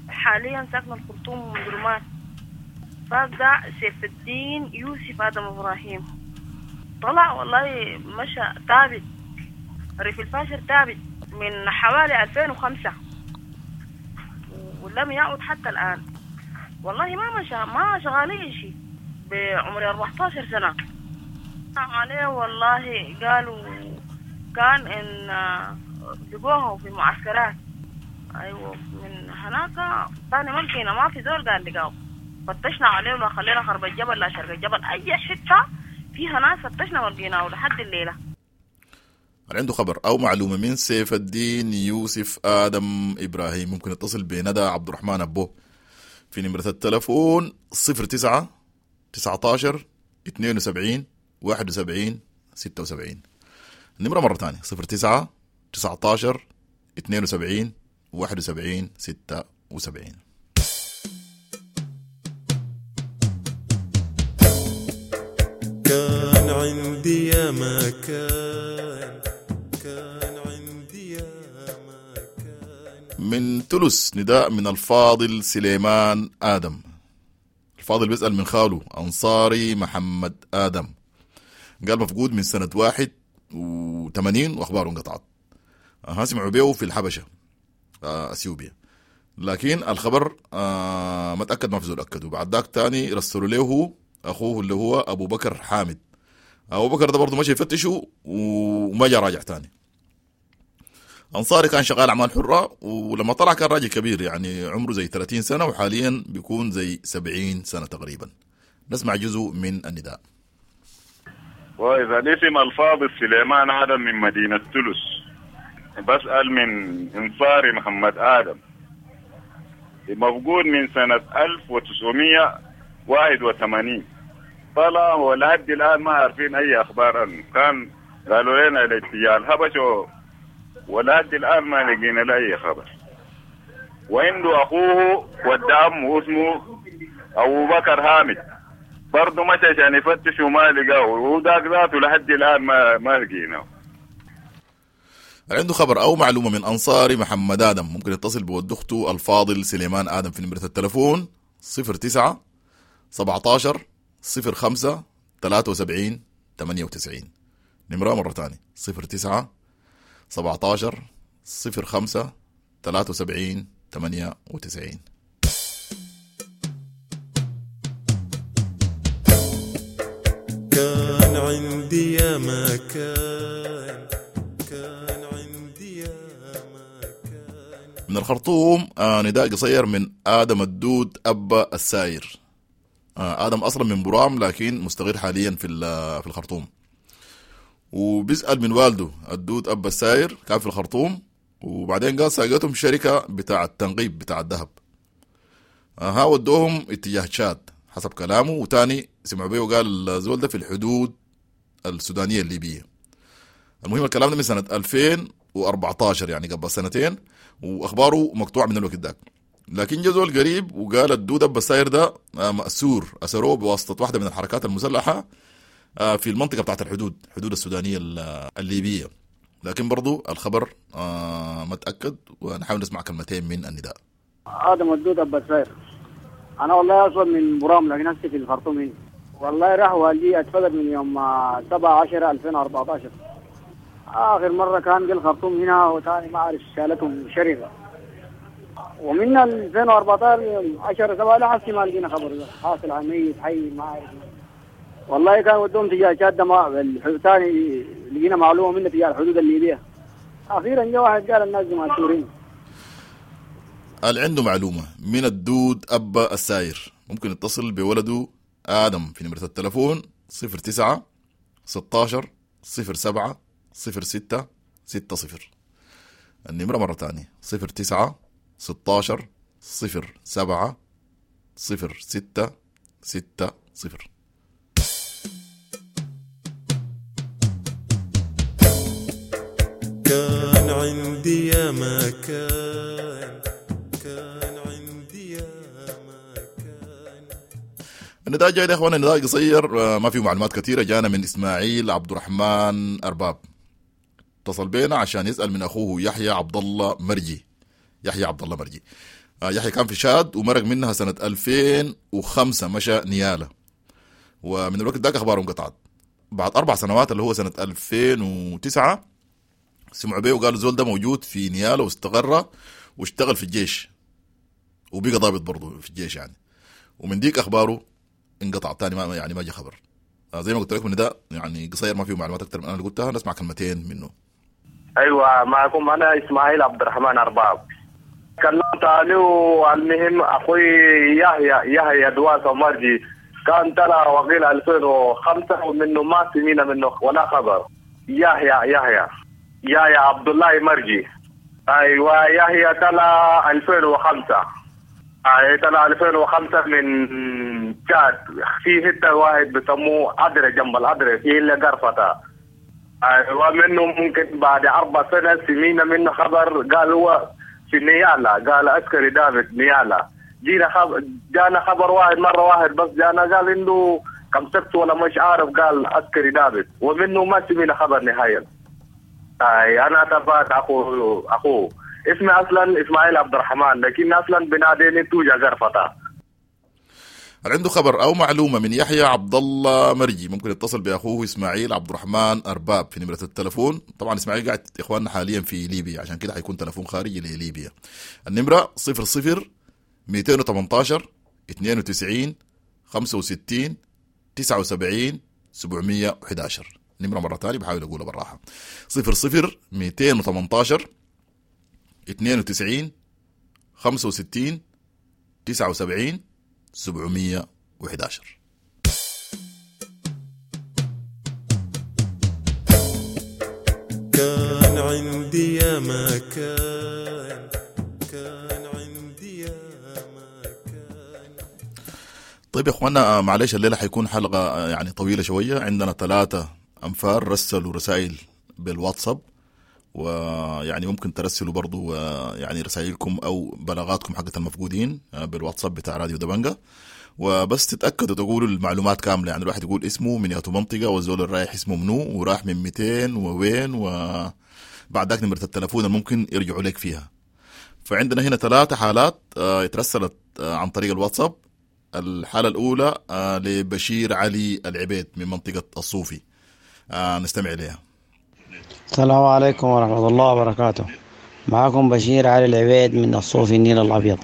حاليا ساكنة الخرطوم وأم درمان. فده سيف الدين يوسف آدم إبراهيم، طلع والله مشى ثابت ريف الفاشر ثابت من حوالي ألفين وخمسة ولم يعد حتى الآن. والله ما مشى، ما شغالين شيء بعمر أربعة عشر سنة عليه. والله قالوا كان إن لقوه في معسكرات، أيوة من هناك تاني ممكن ما في زول قال لقاه. فتشنا عليه ولا خلينا خرب الجبل لا شرق الجبل، أي حتة فيها ناس فتشنا ولقيناه لحد الليلة. عنده خبر أو معلومة من سيف الدين يوسف آدم إبراهيم ممكن يتصل بندى عبد الرحمن أبو في نمرة التلفون صفر تسعة تسعة عشر اثنين وسبعين واحد وسبعين ستة وسبعين. النمرة مرة تانية صفر تسعة تسعة عشر اثنين وسبعين واحد وسبعين ستة وسبعين. كان عندي يا ما كان، كان عندي يا ما كان. من تلس نداء من الفاضل سليمان آدم. الفاضل بيسأل من خاله أنصاري محمد آدم، قال مفقود من سنة واحد وثمانين وأخباره انقطعت. أها سمعوا بيه في الحبشة أثيوبيا، لكن الخبر آه ما تأكد، ما في زول أكده. بعد ذاك تاني رسلوا له أخوه اللي هو أبو بكر حامد. أبو بكر ده برضه ماشي يفتشه وما جا راجع تاني. أنصاري كان شغال أعمال حرة، ولما طلع كان راجل كبير يعني عمره زي ثلاثين سنة، وحاليا بيكون زي سبعين سنة تقريبا. نسمع جزء من النداء. وإذا الاسم الفاضل سليمان آدم من مدينة تلس، بسأل من أنصاري محمد آدم، مفقود من سنة ألف وتسعمية واحد وثمانين، طلع ولحد الآن ما عارفين أي أخبار عنه. كان قالوا لنا الاتجاه الحبش ولحد الآن ما لقينا له أي خبر. وعنده أخوه ود عمه اسمه أبو بكر حامد، برضه مشى عشان يفتش وما لقاه، وذاك ذاته لحد الآن ما ما لقيناه. عنده خبر أو معلومة من أنصاري محمد آدم ممكن يتصل بود أخته الفاضل سليمان آدم في نمرة التلفون صفر تسعة سبعتاشر صفر خمسة تلاتة وسبعين تمانية وتسعين. نمرة مرة تانية صفر تسعة سبعتاشر صفر خمسة تلاتة وسبعين تمانية وتسعين. كان عندي يا ما كان، كان عندي يا ما كان. من الخرطوم آه نداء قصير من آدم الدود أبا الساير. آه آدم أصلا من برام لكن مستقر حاليا في في الخرطوم، وبيسأل من والده الدود أبا الساير كان في الخرطوم، وبعدين قال ساقتهم شركة بتاع التنقيب بتاع الذهب. آه ها ودوهم اتجاه تشاد حسب كلامه، وتاني سمعوا بيه وقال الزول ده في الحدود السودانية الليبية. المهم الكلام ده من سنة ألفين وأربعتاشر يعني قبل سنتين، وأخباره مقطوعة من الوقت داك. لكن جا زول قريب وقال الدود أبا الساير ده مأسور، أسروه بواسطة واحدة من الحركات المسلحة في المنطقة بتاعت الحدود، حدود السودانية الليبية. لكن برضو الخبر ما تأكد، ونحاول نسمع كلمتين من النداء. آدم الدود أبا الساير، أنا والله أصلا من برام لكن هسه في الخرطوم هنا. والله راح والدي اتفقد من يوم سبعة عشر ألفين وأربعة عشر، آخر مرة كان في الخرطوم هنا، وثاني ما أعرف شالتهم شركة، ومن ألفين وأربعة عشر عشرة سبعة لحسي ما لقينا خبر ده حاصل على ميت حي ما أعرف. والله كان ودهم تجاه جادة ما ثاني لقينا معلومة منه تجاه الحدود الليبية. أخيرا جاء واحد قال الناس مأسورين. قال عنده معلومة من الدود أبا الساير ممكن يتصل بولده آدم في نمرة التلفون صفر تسعة ستاشر صفر سبعة صفر ستة ستة صفر. النمرة مرة تانية صفر تسعة ستاشر صفر سبعة صفر ستة ستة صفر. كان عندي يا ما كان، كان عندي يا ما كان. النداء جاي يا اخوانا، النداء قصير ما فيه معلومات كثيرة، جانا من اسماعيل عبد الرحمن أرباب، اتصل بينا عشان يسأل من اخوه يحيى عبد الله مرجي. يحيى عبد الله مرجي، يحيى كان في شاد ومرق منها سنة ألفين وخمسة، مشى نيالة، ومن الوقت ذاك اخباره انقطعت. بعد اربع سنوات اللي هو سنة ألفين وتسعة سمعوا بيه وقالوا زول ده موجود في نيالة واستقر واشتغل في الجيش وبقى ضابط برضه في الجيش يعني، ومن ديك اخباره انقطع تاني، ما يعني ما جا خبر. زي ما قلت لكم ان ده يعني قصير ما فيه معلومات اكثر من انا اللي قلتها، نسمع كلمتين منه. ايوه معكم انا اسماعيل عبد الرحمن ارباب. كلمت عليه المهم اخوي يحيى يحيى دواسه مرجي كان طلع وقيل ألفين وخمسة ومنه ما سمينا منه ولا خبر. يحيى يحيى يحيى عبد الله مرجي، ايوه يحيى طلع ألفين وخمسة، اي طلع ألفين وخمسة من تشاد في حته واحد بسموه عدرة جنب العدرة في اللي قرفته. ايوه منه ممكن بعد اربع سنه سمينا منه خبر، قال هو في نيالا، قال عسكري دافد نيالا. جينا خبر، جانا خبر واحد مره واحد بس جانا قال انه كم سبت ولا مش عارف، قال عسكري دافد، ومنه ما سمينا خبر نهائيا. اي انا تبعت اخوه اخوه اسمي اصلا اسماعيل عبد الرحمن، لكن اصلا بناديني توجا قرفته. هل عنده خبر او معلومه من يحيى عبد الله مرجي ممكن يتصل باخوه اسماعيل عبد الرحمن ارباب في نمره التلفون. طبعا اسماعيل قاعد اخواننا حاليا في ليبيا، عشان كده حيكون تلفون خارجي لليبيا. النمره صفر صفر مئتين وثمانية عشر اثنين وتسعين خمسة وستين تسعة وسبعين سبعمية وأحد عشر. نمرة مرة تانية بحاول أقولها بالراحة، صفر صفر مئتين وثمانية عشر اثنين وتسعين خمسة وستين تسعة وسبعين سبعمية وأحد عشر. كان عندي يا ما كان، كان عندي يا ما كان. طيب يا اخوانا معلش الليلة حيكون حلقة يعني طويلة شوية، عندنا ثلاثة أنفار رسلوا رسائل بالواتساب، ويعني ممكن ترسلوا برضو يعني رسائلكم أو بلاغاتكم حقت المفقودين بالواتساب بتاع راديو دبنجة، وبس تتأكدوا تقولوا المعلومات كاملة، يعني الواحد يقول اسمه من ياتو منطقة والزول الرايح اسمه منو وراح من مئتين ووين، وبعد ذاك نمرة التلفون اللي ممكن يرجعوا لك فيها. فعندنا هنا ثلاثة حالات اترسلت عن طريق الواتساب، الحالة الأولى آه لبشير علي العبيد من منطقة الصوفي، آه نستمع إليها. السلام عليكم ورحمة الله وبركاته. معكم بشير علي العبيد من الصوفي النيل الأبيض.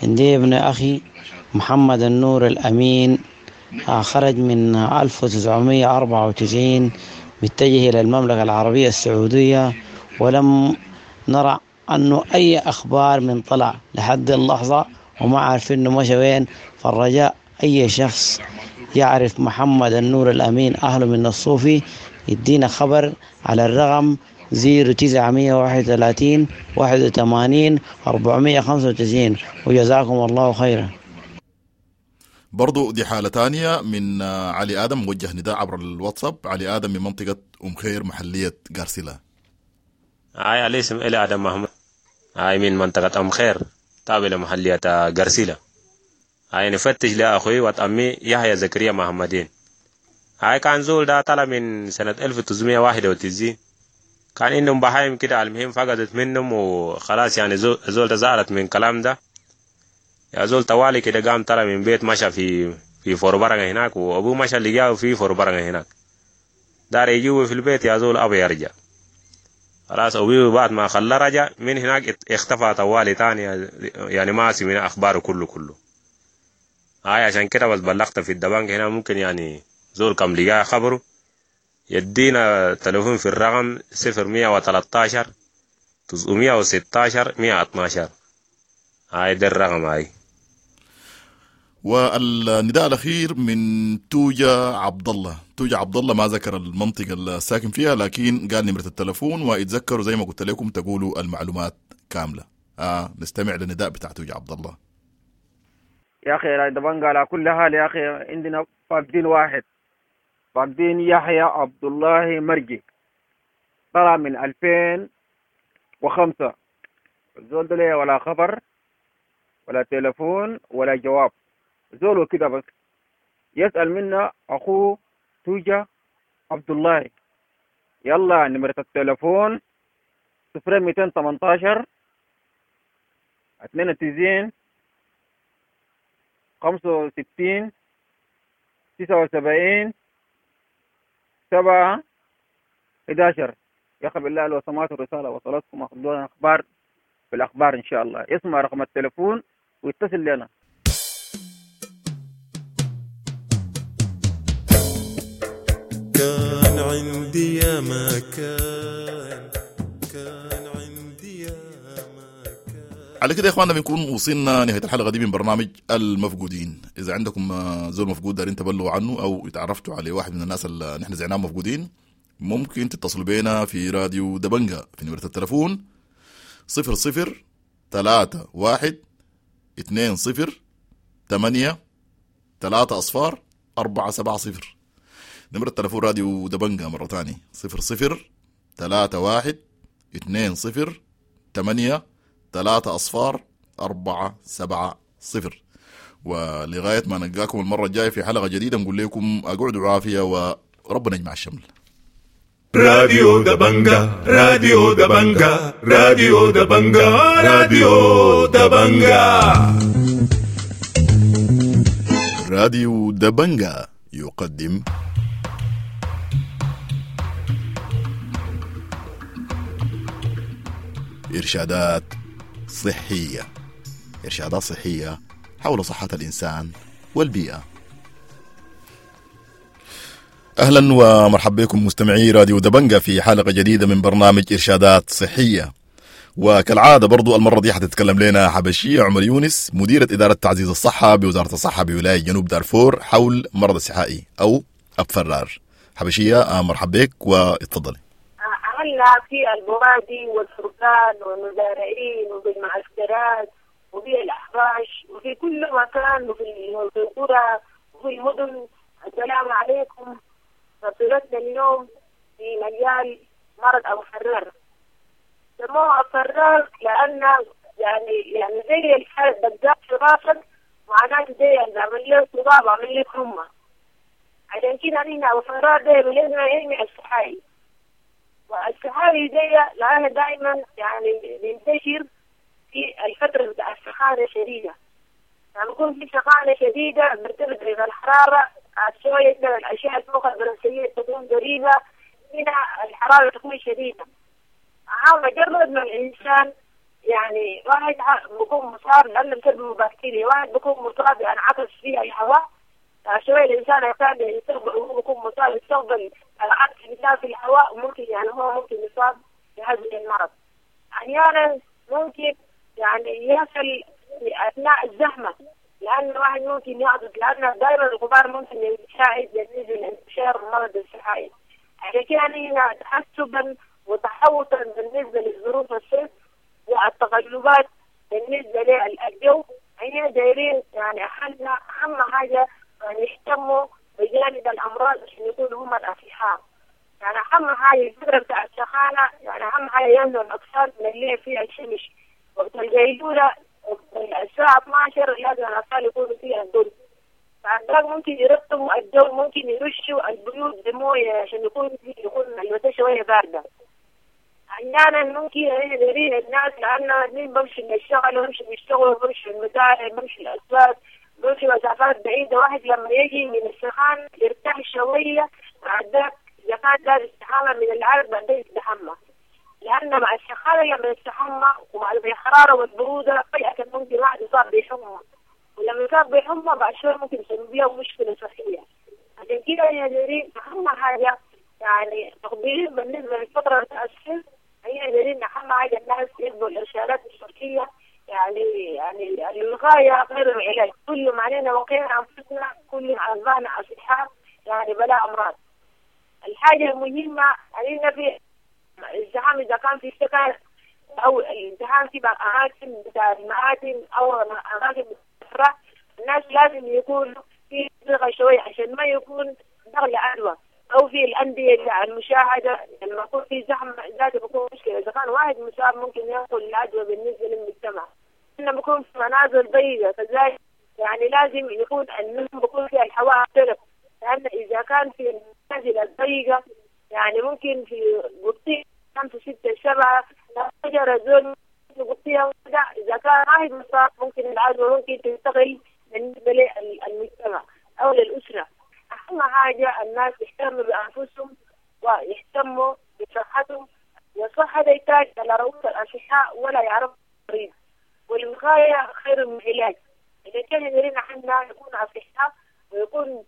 عندي ابن أخي محمد النور الأمين، خرج من ألف وتسعمية وأربعة وتسعين متجه إلى المملكة العربية السعودية، ولم نرى أنه أي أخبار من طلع لحد اللحظة، وما عارفين إنه مشى وين. فالرجاء أي شخص يعرف محمد النور الأمين أهله من الصوفي يدينا خبر على الرقم زيرو تسعة واحد وثلاثين واحد وثمانين أربعمية خمسة وتسعين، وجزاكم الله خيرا. برضو دي حالة تانية من علي آدم، موجه نداء عبر الواتساب. علي آدم من منطقة أم خير محلية غارسيلا. هاي علي اسم إلي آدم محمد، هاي من منطقة أم خير تابع لمحلية غارسيلا. هاي نفتش لأخوي وأمي يحيى زكريا محمدين. هاي كان زول ده طلع من سنة ألف وتسعمية وواحد وتسعين، كان إنهم بهايم كده، المهم فقدت منهم وخلاص يعني زول ده زعلت من كلام ده يا زول طوالي كده، قام طلع من بيت مشى في في فوربرنة هناك، وأبوه مشى لقاه في فوربرنة هناك، دار يجيبه في البيت يا زول أبي يرجع. خلاص أبوه بعد ما خلاه رجع من هناك اختفى طوالي تاني، يعني ما سمعنا أخباره كله كله. هاي عشان كده بس بلغت في الدبانج هنا، ممكن يعني زول كم لقاه خبره يدينا تلفون في الرقم صفر مية وتلتاشر تسعمية وستاشر مية اتناشر. هاي ده الرقم. هاي والنداء الأخير من توجا عبد الله. توجا عبد الله ما ذكر المنطقة الساكن فيها، لكن قال نمرة التلفون، واتذكروا زي ما قلت لكم تقولوا المعلومات كاملة. آه نستمع للنداء بتاع توجا عبد الله. يا أخي دبنجا على كل حال يا أخي عندنا فاقدين واحد، فاقدين يحيى عبد الله مرجي، طلع من ألفين وخمسة، زول ده ولا خبر ولا تلفون ولا جواب، زوله كده بس. يسأل منا أخوه توجا عبد الله. يلا نمرة التلفون صفر ميتين تمنتاشر اتنين وتسعين خمسة وستين تسعة وسبعين سبعة إحداشر. يا أخي بالله لو سمعتوا الرسالة وصلتكم أخذونا أخبار في الأخبار إن شاء الله. اسمع رقم التلفون ويتصل لنا. كان عندي يا مكان، كان عندي يا مكان. على كده يا اخواننا بنكون وصلنا نهاية الحلقة دي من برنامج المفقودين. اذا عندكم زول مفقود دارين تبلغوا عنه او اتعرفتوا على واحد من الناس اللي نحن زعناهم مفقودين، ممكن تتصلوا بينا في راديو دبنجا في نمرة التلفون صفر صفر ثلاثة واحد اثنين صفر ثمانية ثلاثة أصفار أربعة سبعة صفر. نمرة تلفون راديو دبنجا مرة تاني صفر صفر ثلاثة واحد اثنين صفر ثمانية ثلاثة أصفار أربعة سبعة صفر. ولغاية ما نلقاكم المرة الجاية في حلقة جديدة نقول لكم أقعدوا عافية وربنا يجمع الشمل. راديو دبنجا، راديو دبنجا، راديو دبنجا، راديو دبنجا. راديو دبنجا يقدم إرشادات صحية، إرشادات صحية حول صحة الإنسان والبيئة. أهلا ومرحبا بكم مستمعي راديو دبنجا في حلقة جديدة من برنامج إرشادات صحية. وكالعادة برضو المرة دي حتتكلم لنا حبشية عمر يونس، مديرة إدارة تعزيز الصحة بوزارة الصحة بولاية جنوب دارفور، حول مرض السحائي أو أبفرار. حبشية مرحبا بك واتفضلي. عملنا في البوادي والفرقان والمزارعين وبالمعسكرات وفي الأحراش وفي كل مكان وفي القرى وفي المدن. السلام عليكم. فصلتنا اليوم في مجال مرض أبو فرار. سموه أبو فرار لأن يعني يعني زي الحالة دقات في راسك، معناته زي عمل له صداع وعمل له حمى. عشان كده نحن أبو فرار ده بلدنا يجمع السحائي، والسحائي دي لأنه دائما يعني بينتشر في الفترة بتاع السخانة الشديدة. يعني بيكون في سخانة شديدة، بيرتفع درجة الحرارة شوية، الأشعة الفوق البنفسجية تكون قريبة هنا، الحرارة تكون شديدة. مجرد ما الإنسان يعني واحد بيكون مصاب لأنه بسبب بكتيريا، واحد بيكون مصاب يعني عطس فيها الهواء شوية، الإنسان الثاني يستقبل وهو بيكون مصاب يستقبل العطس بتاعه في الهواء، وممكن يعني هو ممكن يصاب بهذا المرض. أحيانا ممكن يعني يصل أثناء الزحمة، لأن واحد ممكن يعطس، لأن دائما الغبار ممكن يساعد بالنسبة لانتشار مرض السحائي. عشان كده هنا تحسبا وتحوطا بالنسبة للظروف الصيف والتقلبات بالنسبة للجو، هنا دايرين يعني أهم أهم حاجة يعني يهتموا بجانب الأمراض عشان يكونوا هم الأصحاء. يعني أهم حاجة الفترة بتاع السخانة، يعني أهم حاجة يمنعوا الأطفال من اللي فيها الشمس وقت القيلولة الساعة اثناشر لازم الأطفال يكونوا فيها الظل. بعد ذلك ممكن يرطبوا الجو، ممكن يرشوا البيوت بموية عشان يكون يكون الوقت شوية باردة. أحيانا ممكن دايرين الناس لأن مين بمشي للشغل، بمشي بيشتغلوا، بمشي المزارع، بمشي الأسواق، بمشي مسافات بعيدة. واحد لما يجي من السخان يرتاح شوية، بعد ذاك إذا كان دار استحمى من العرق بعدين يستحمى، لأن مع السخانة لما يستحمى ومع الحرارة والبرودة فجأة ممكن واحد يصاب بحمى، ولما يصاب بحمى بعد شوي ممكن يسبب له مشكلة صحية. عشان كده يا دايرين أهم حاجة يعني تقدير بالنسبة للفترة التأسف، هي دايرين أهم حاجة الناس يتبعوا الإرشادات الصحية، يعني يعني الوقاية غير العلاج. كل ما علينا وقينا أنفسنا، كل ما أصبحنا أصحاء يعني بلا أمراض. الحاجة المهمة علينا في الزحام إذا كان في سكن أو الازدحام في أماكن بتاع المآتم أو أماكن الأفراح، الناس لازم يكون في صيغة شوية عشان ما يكون دخل عدوى، أو في الأندية بتاع المشاهدة لما يكون في زحمة ذاته بيكون مشكلة. إذا كان واحد مصاب ممكن ينقل العدوى بالنسبة للمجتمع. إنه بيكون في منازل ضيقة كذلك، يعني لازم يكون النوم بيكون فيها الهواء طرق، لأن إذا كان في المنازل الضيقة يعني ممكن في قطية خمسة ستة سبعة شجرة زول في قطية واحدة، إذا كان واحد مصاب ممكن العدوى ممكن تنتقل بالنسبة للمجتمع أو للأسرة. أهم حاجة الناس يهتموا بأنفسهم ويهتموا بصحتهم، والصحة يحتاج على رؤوس الأصحاء ولا يعرف المريض، والوقاية خير من العلاج. إذا كان يرينا عنا يكون أصحاء ويكون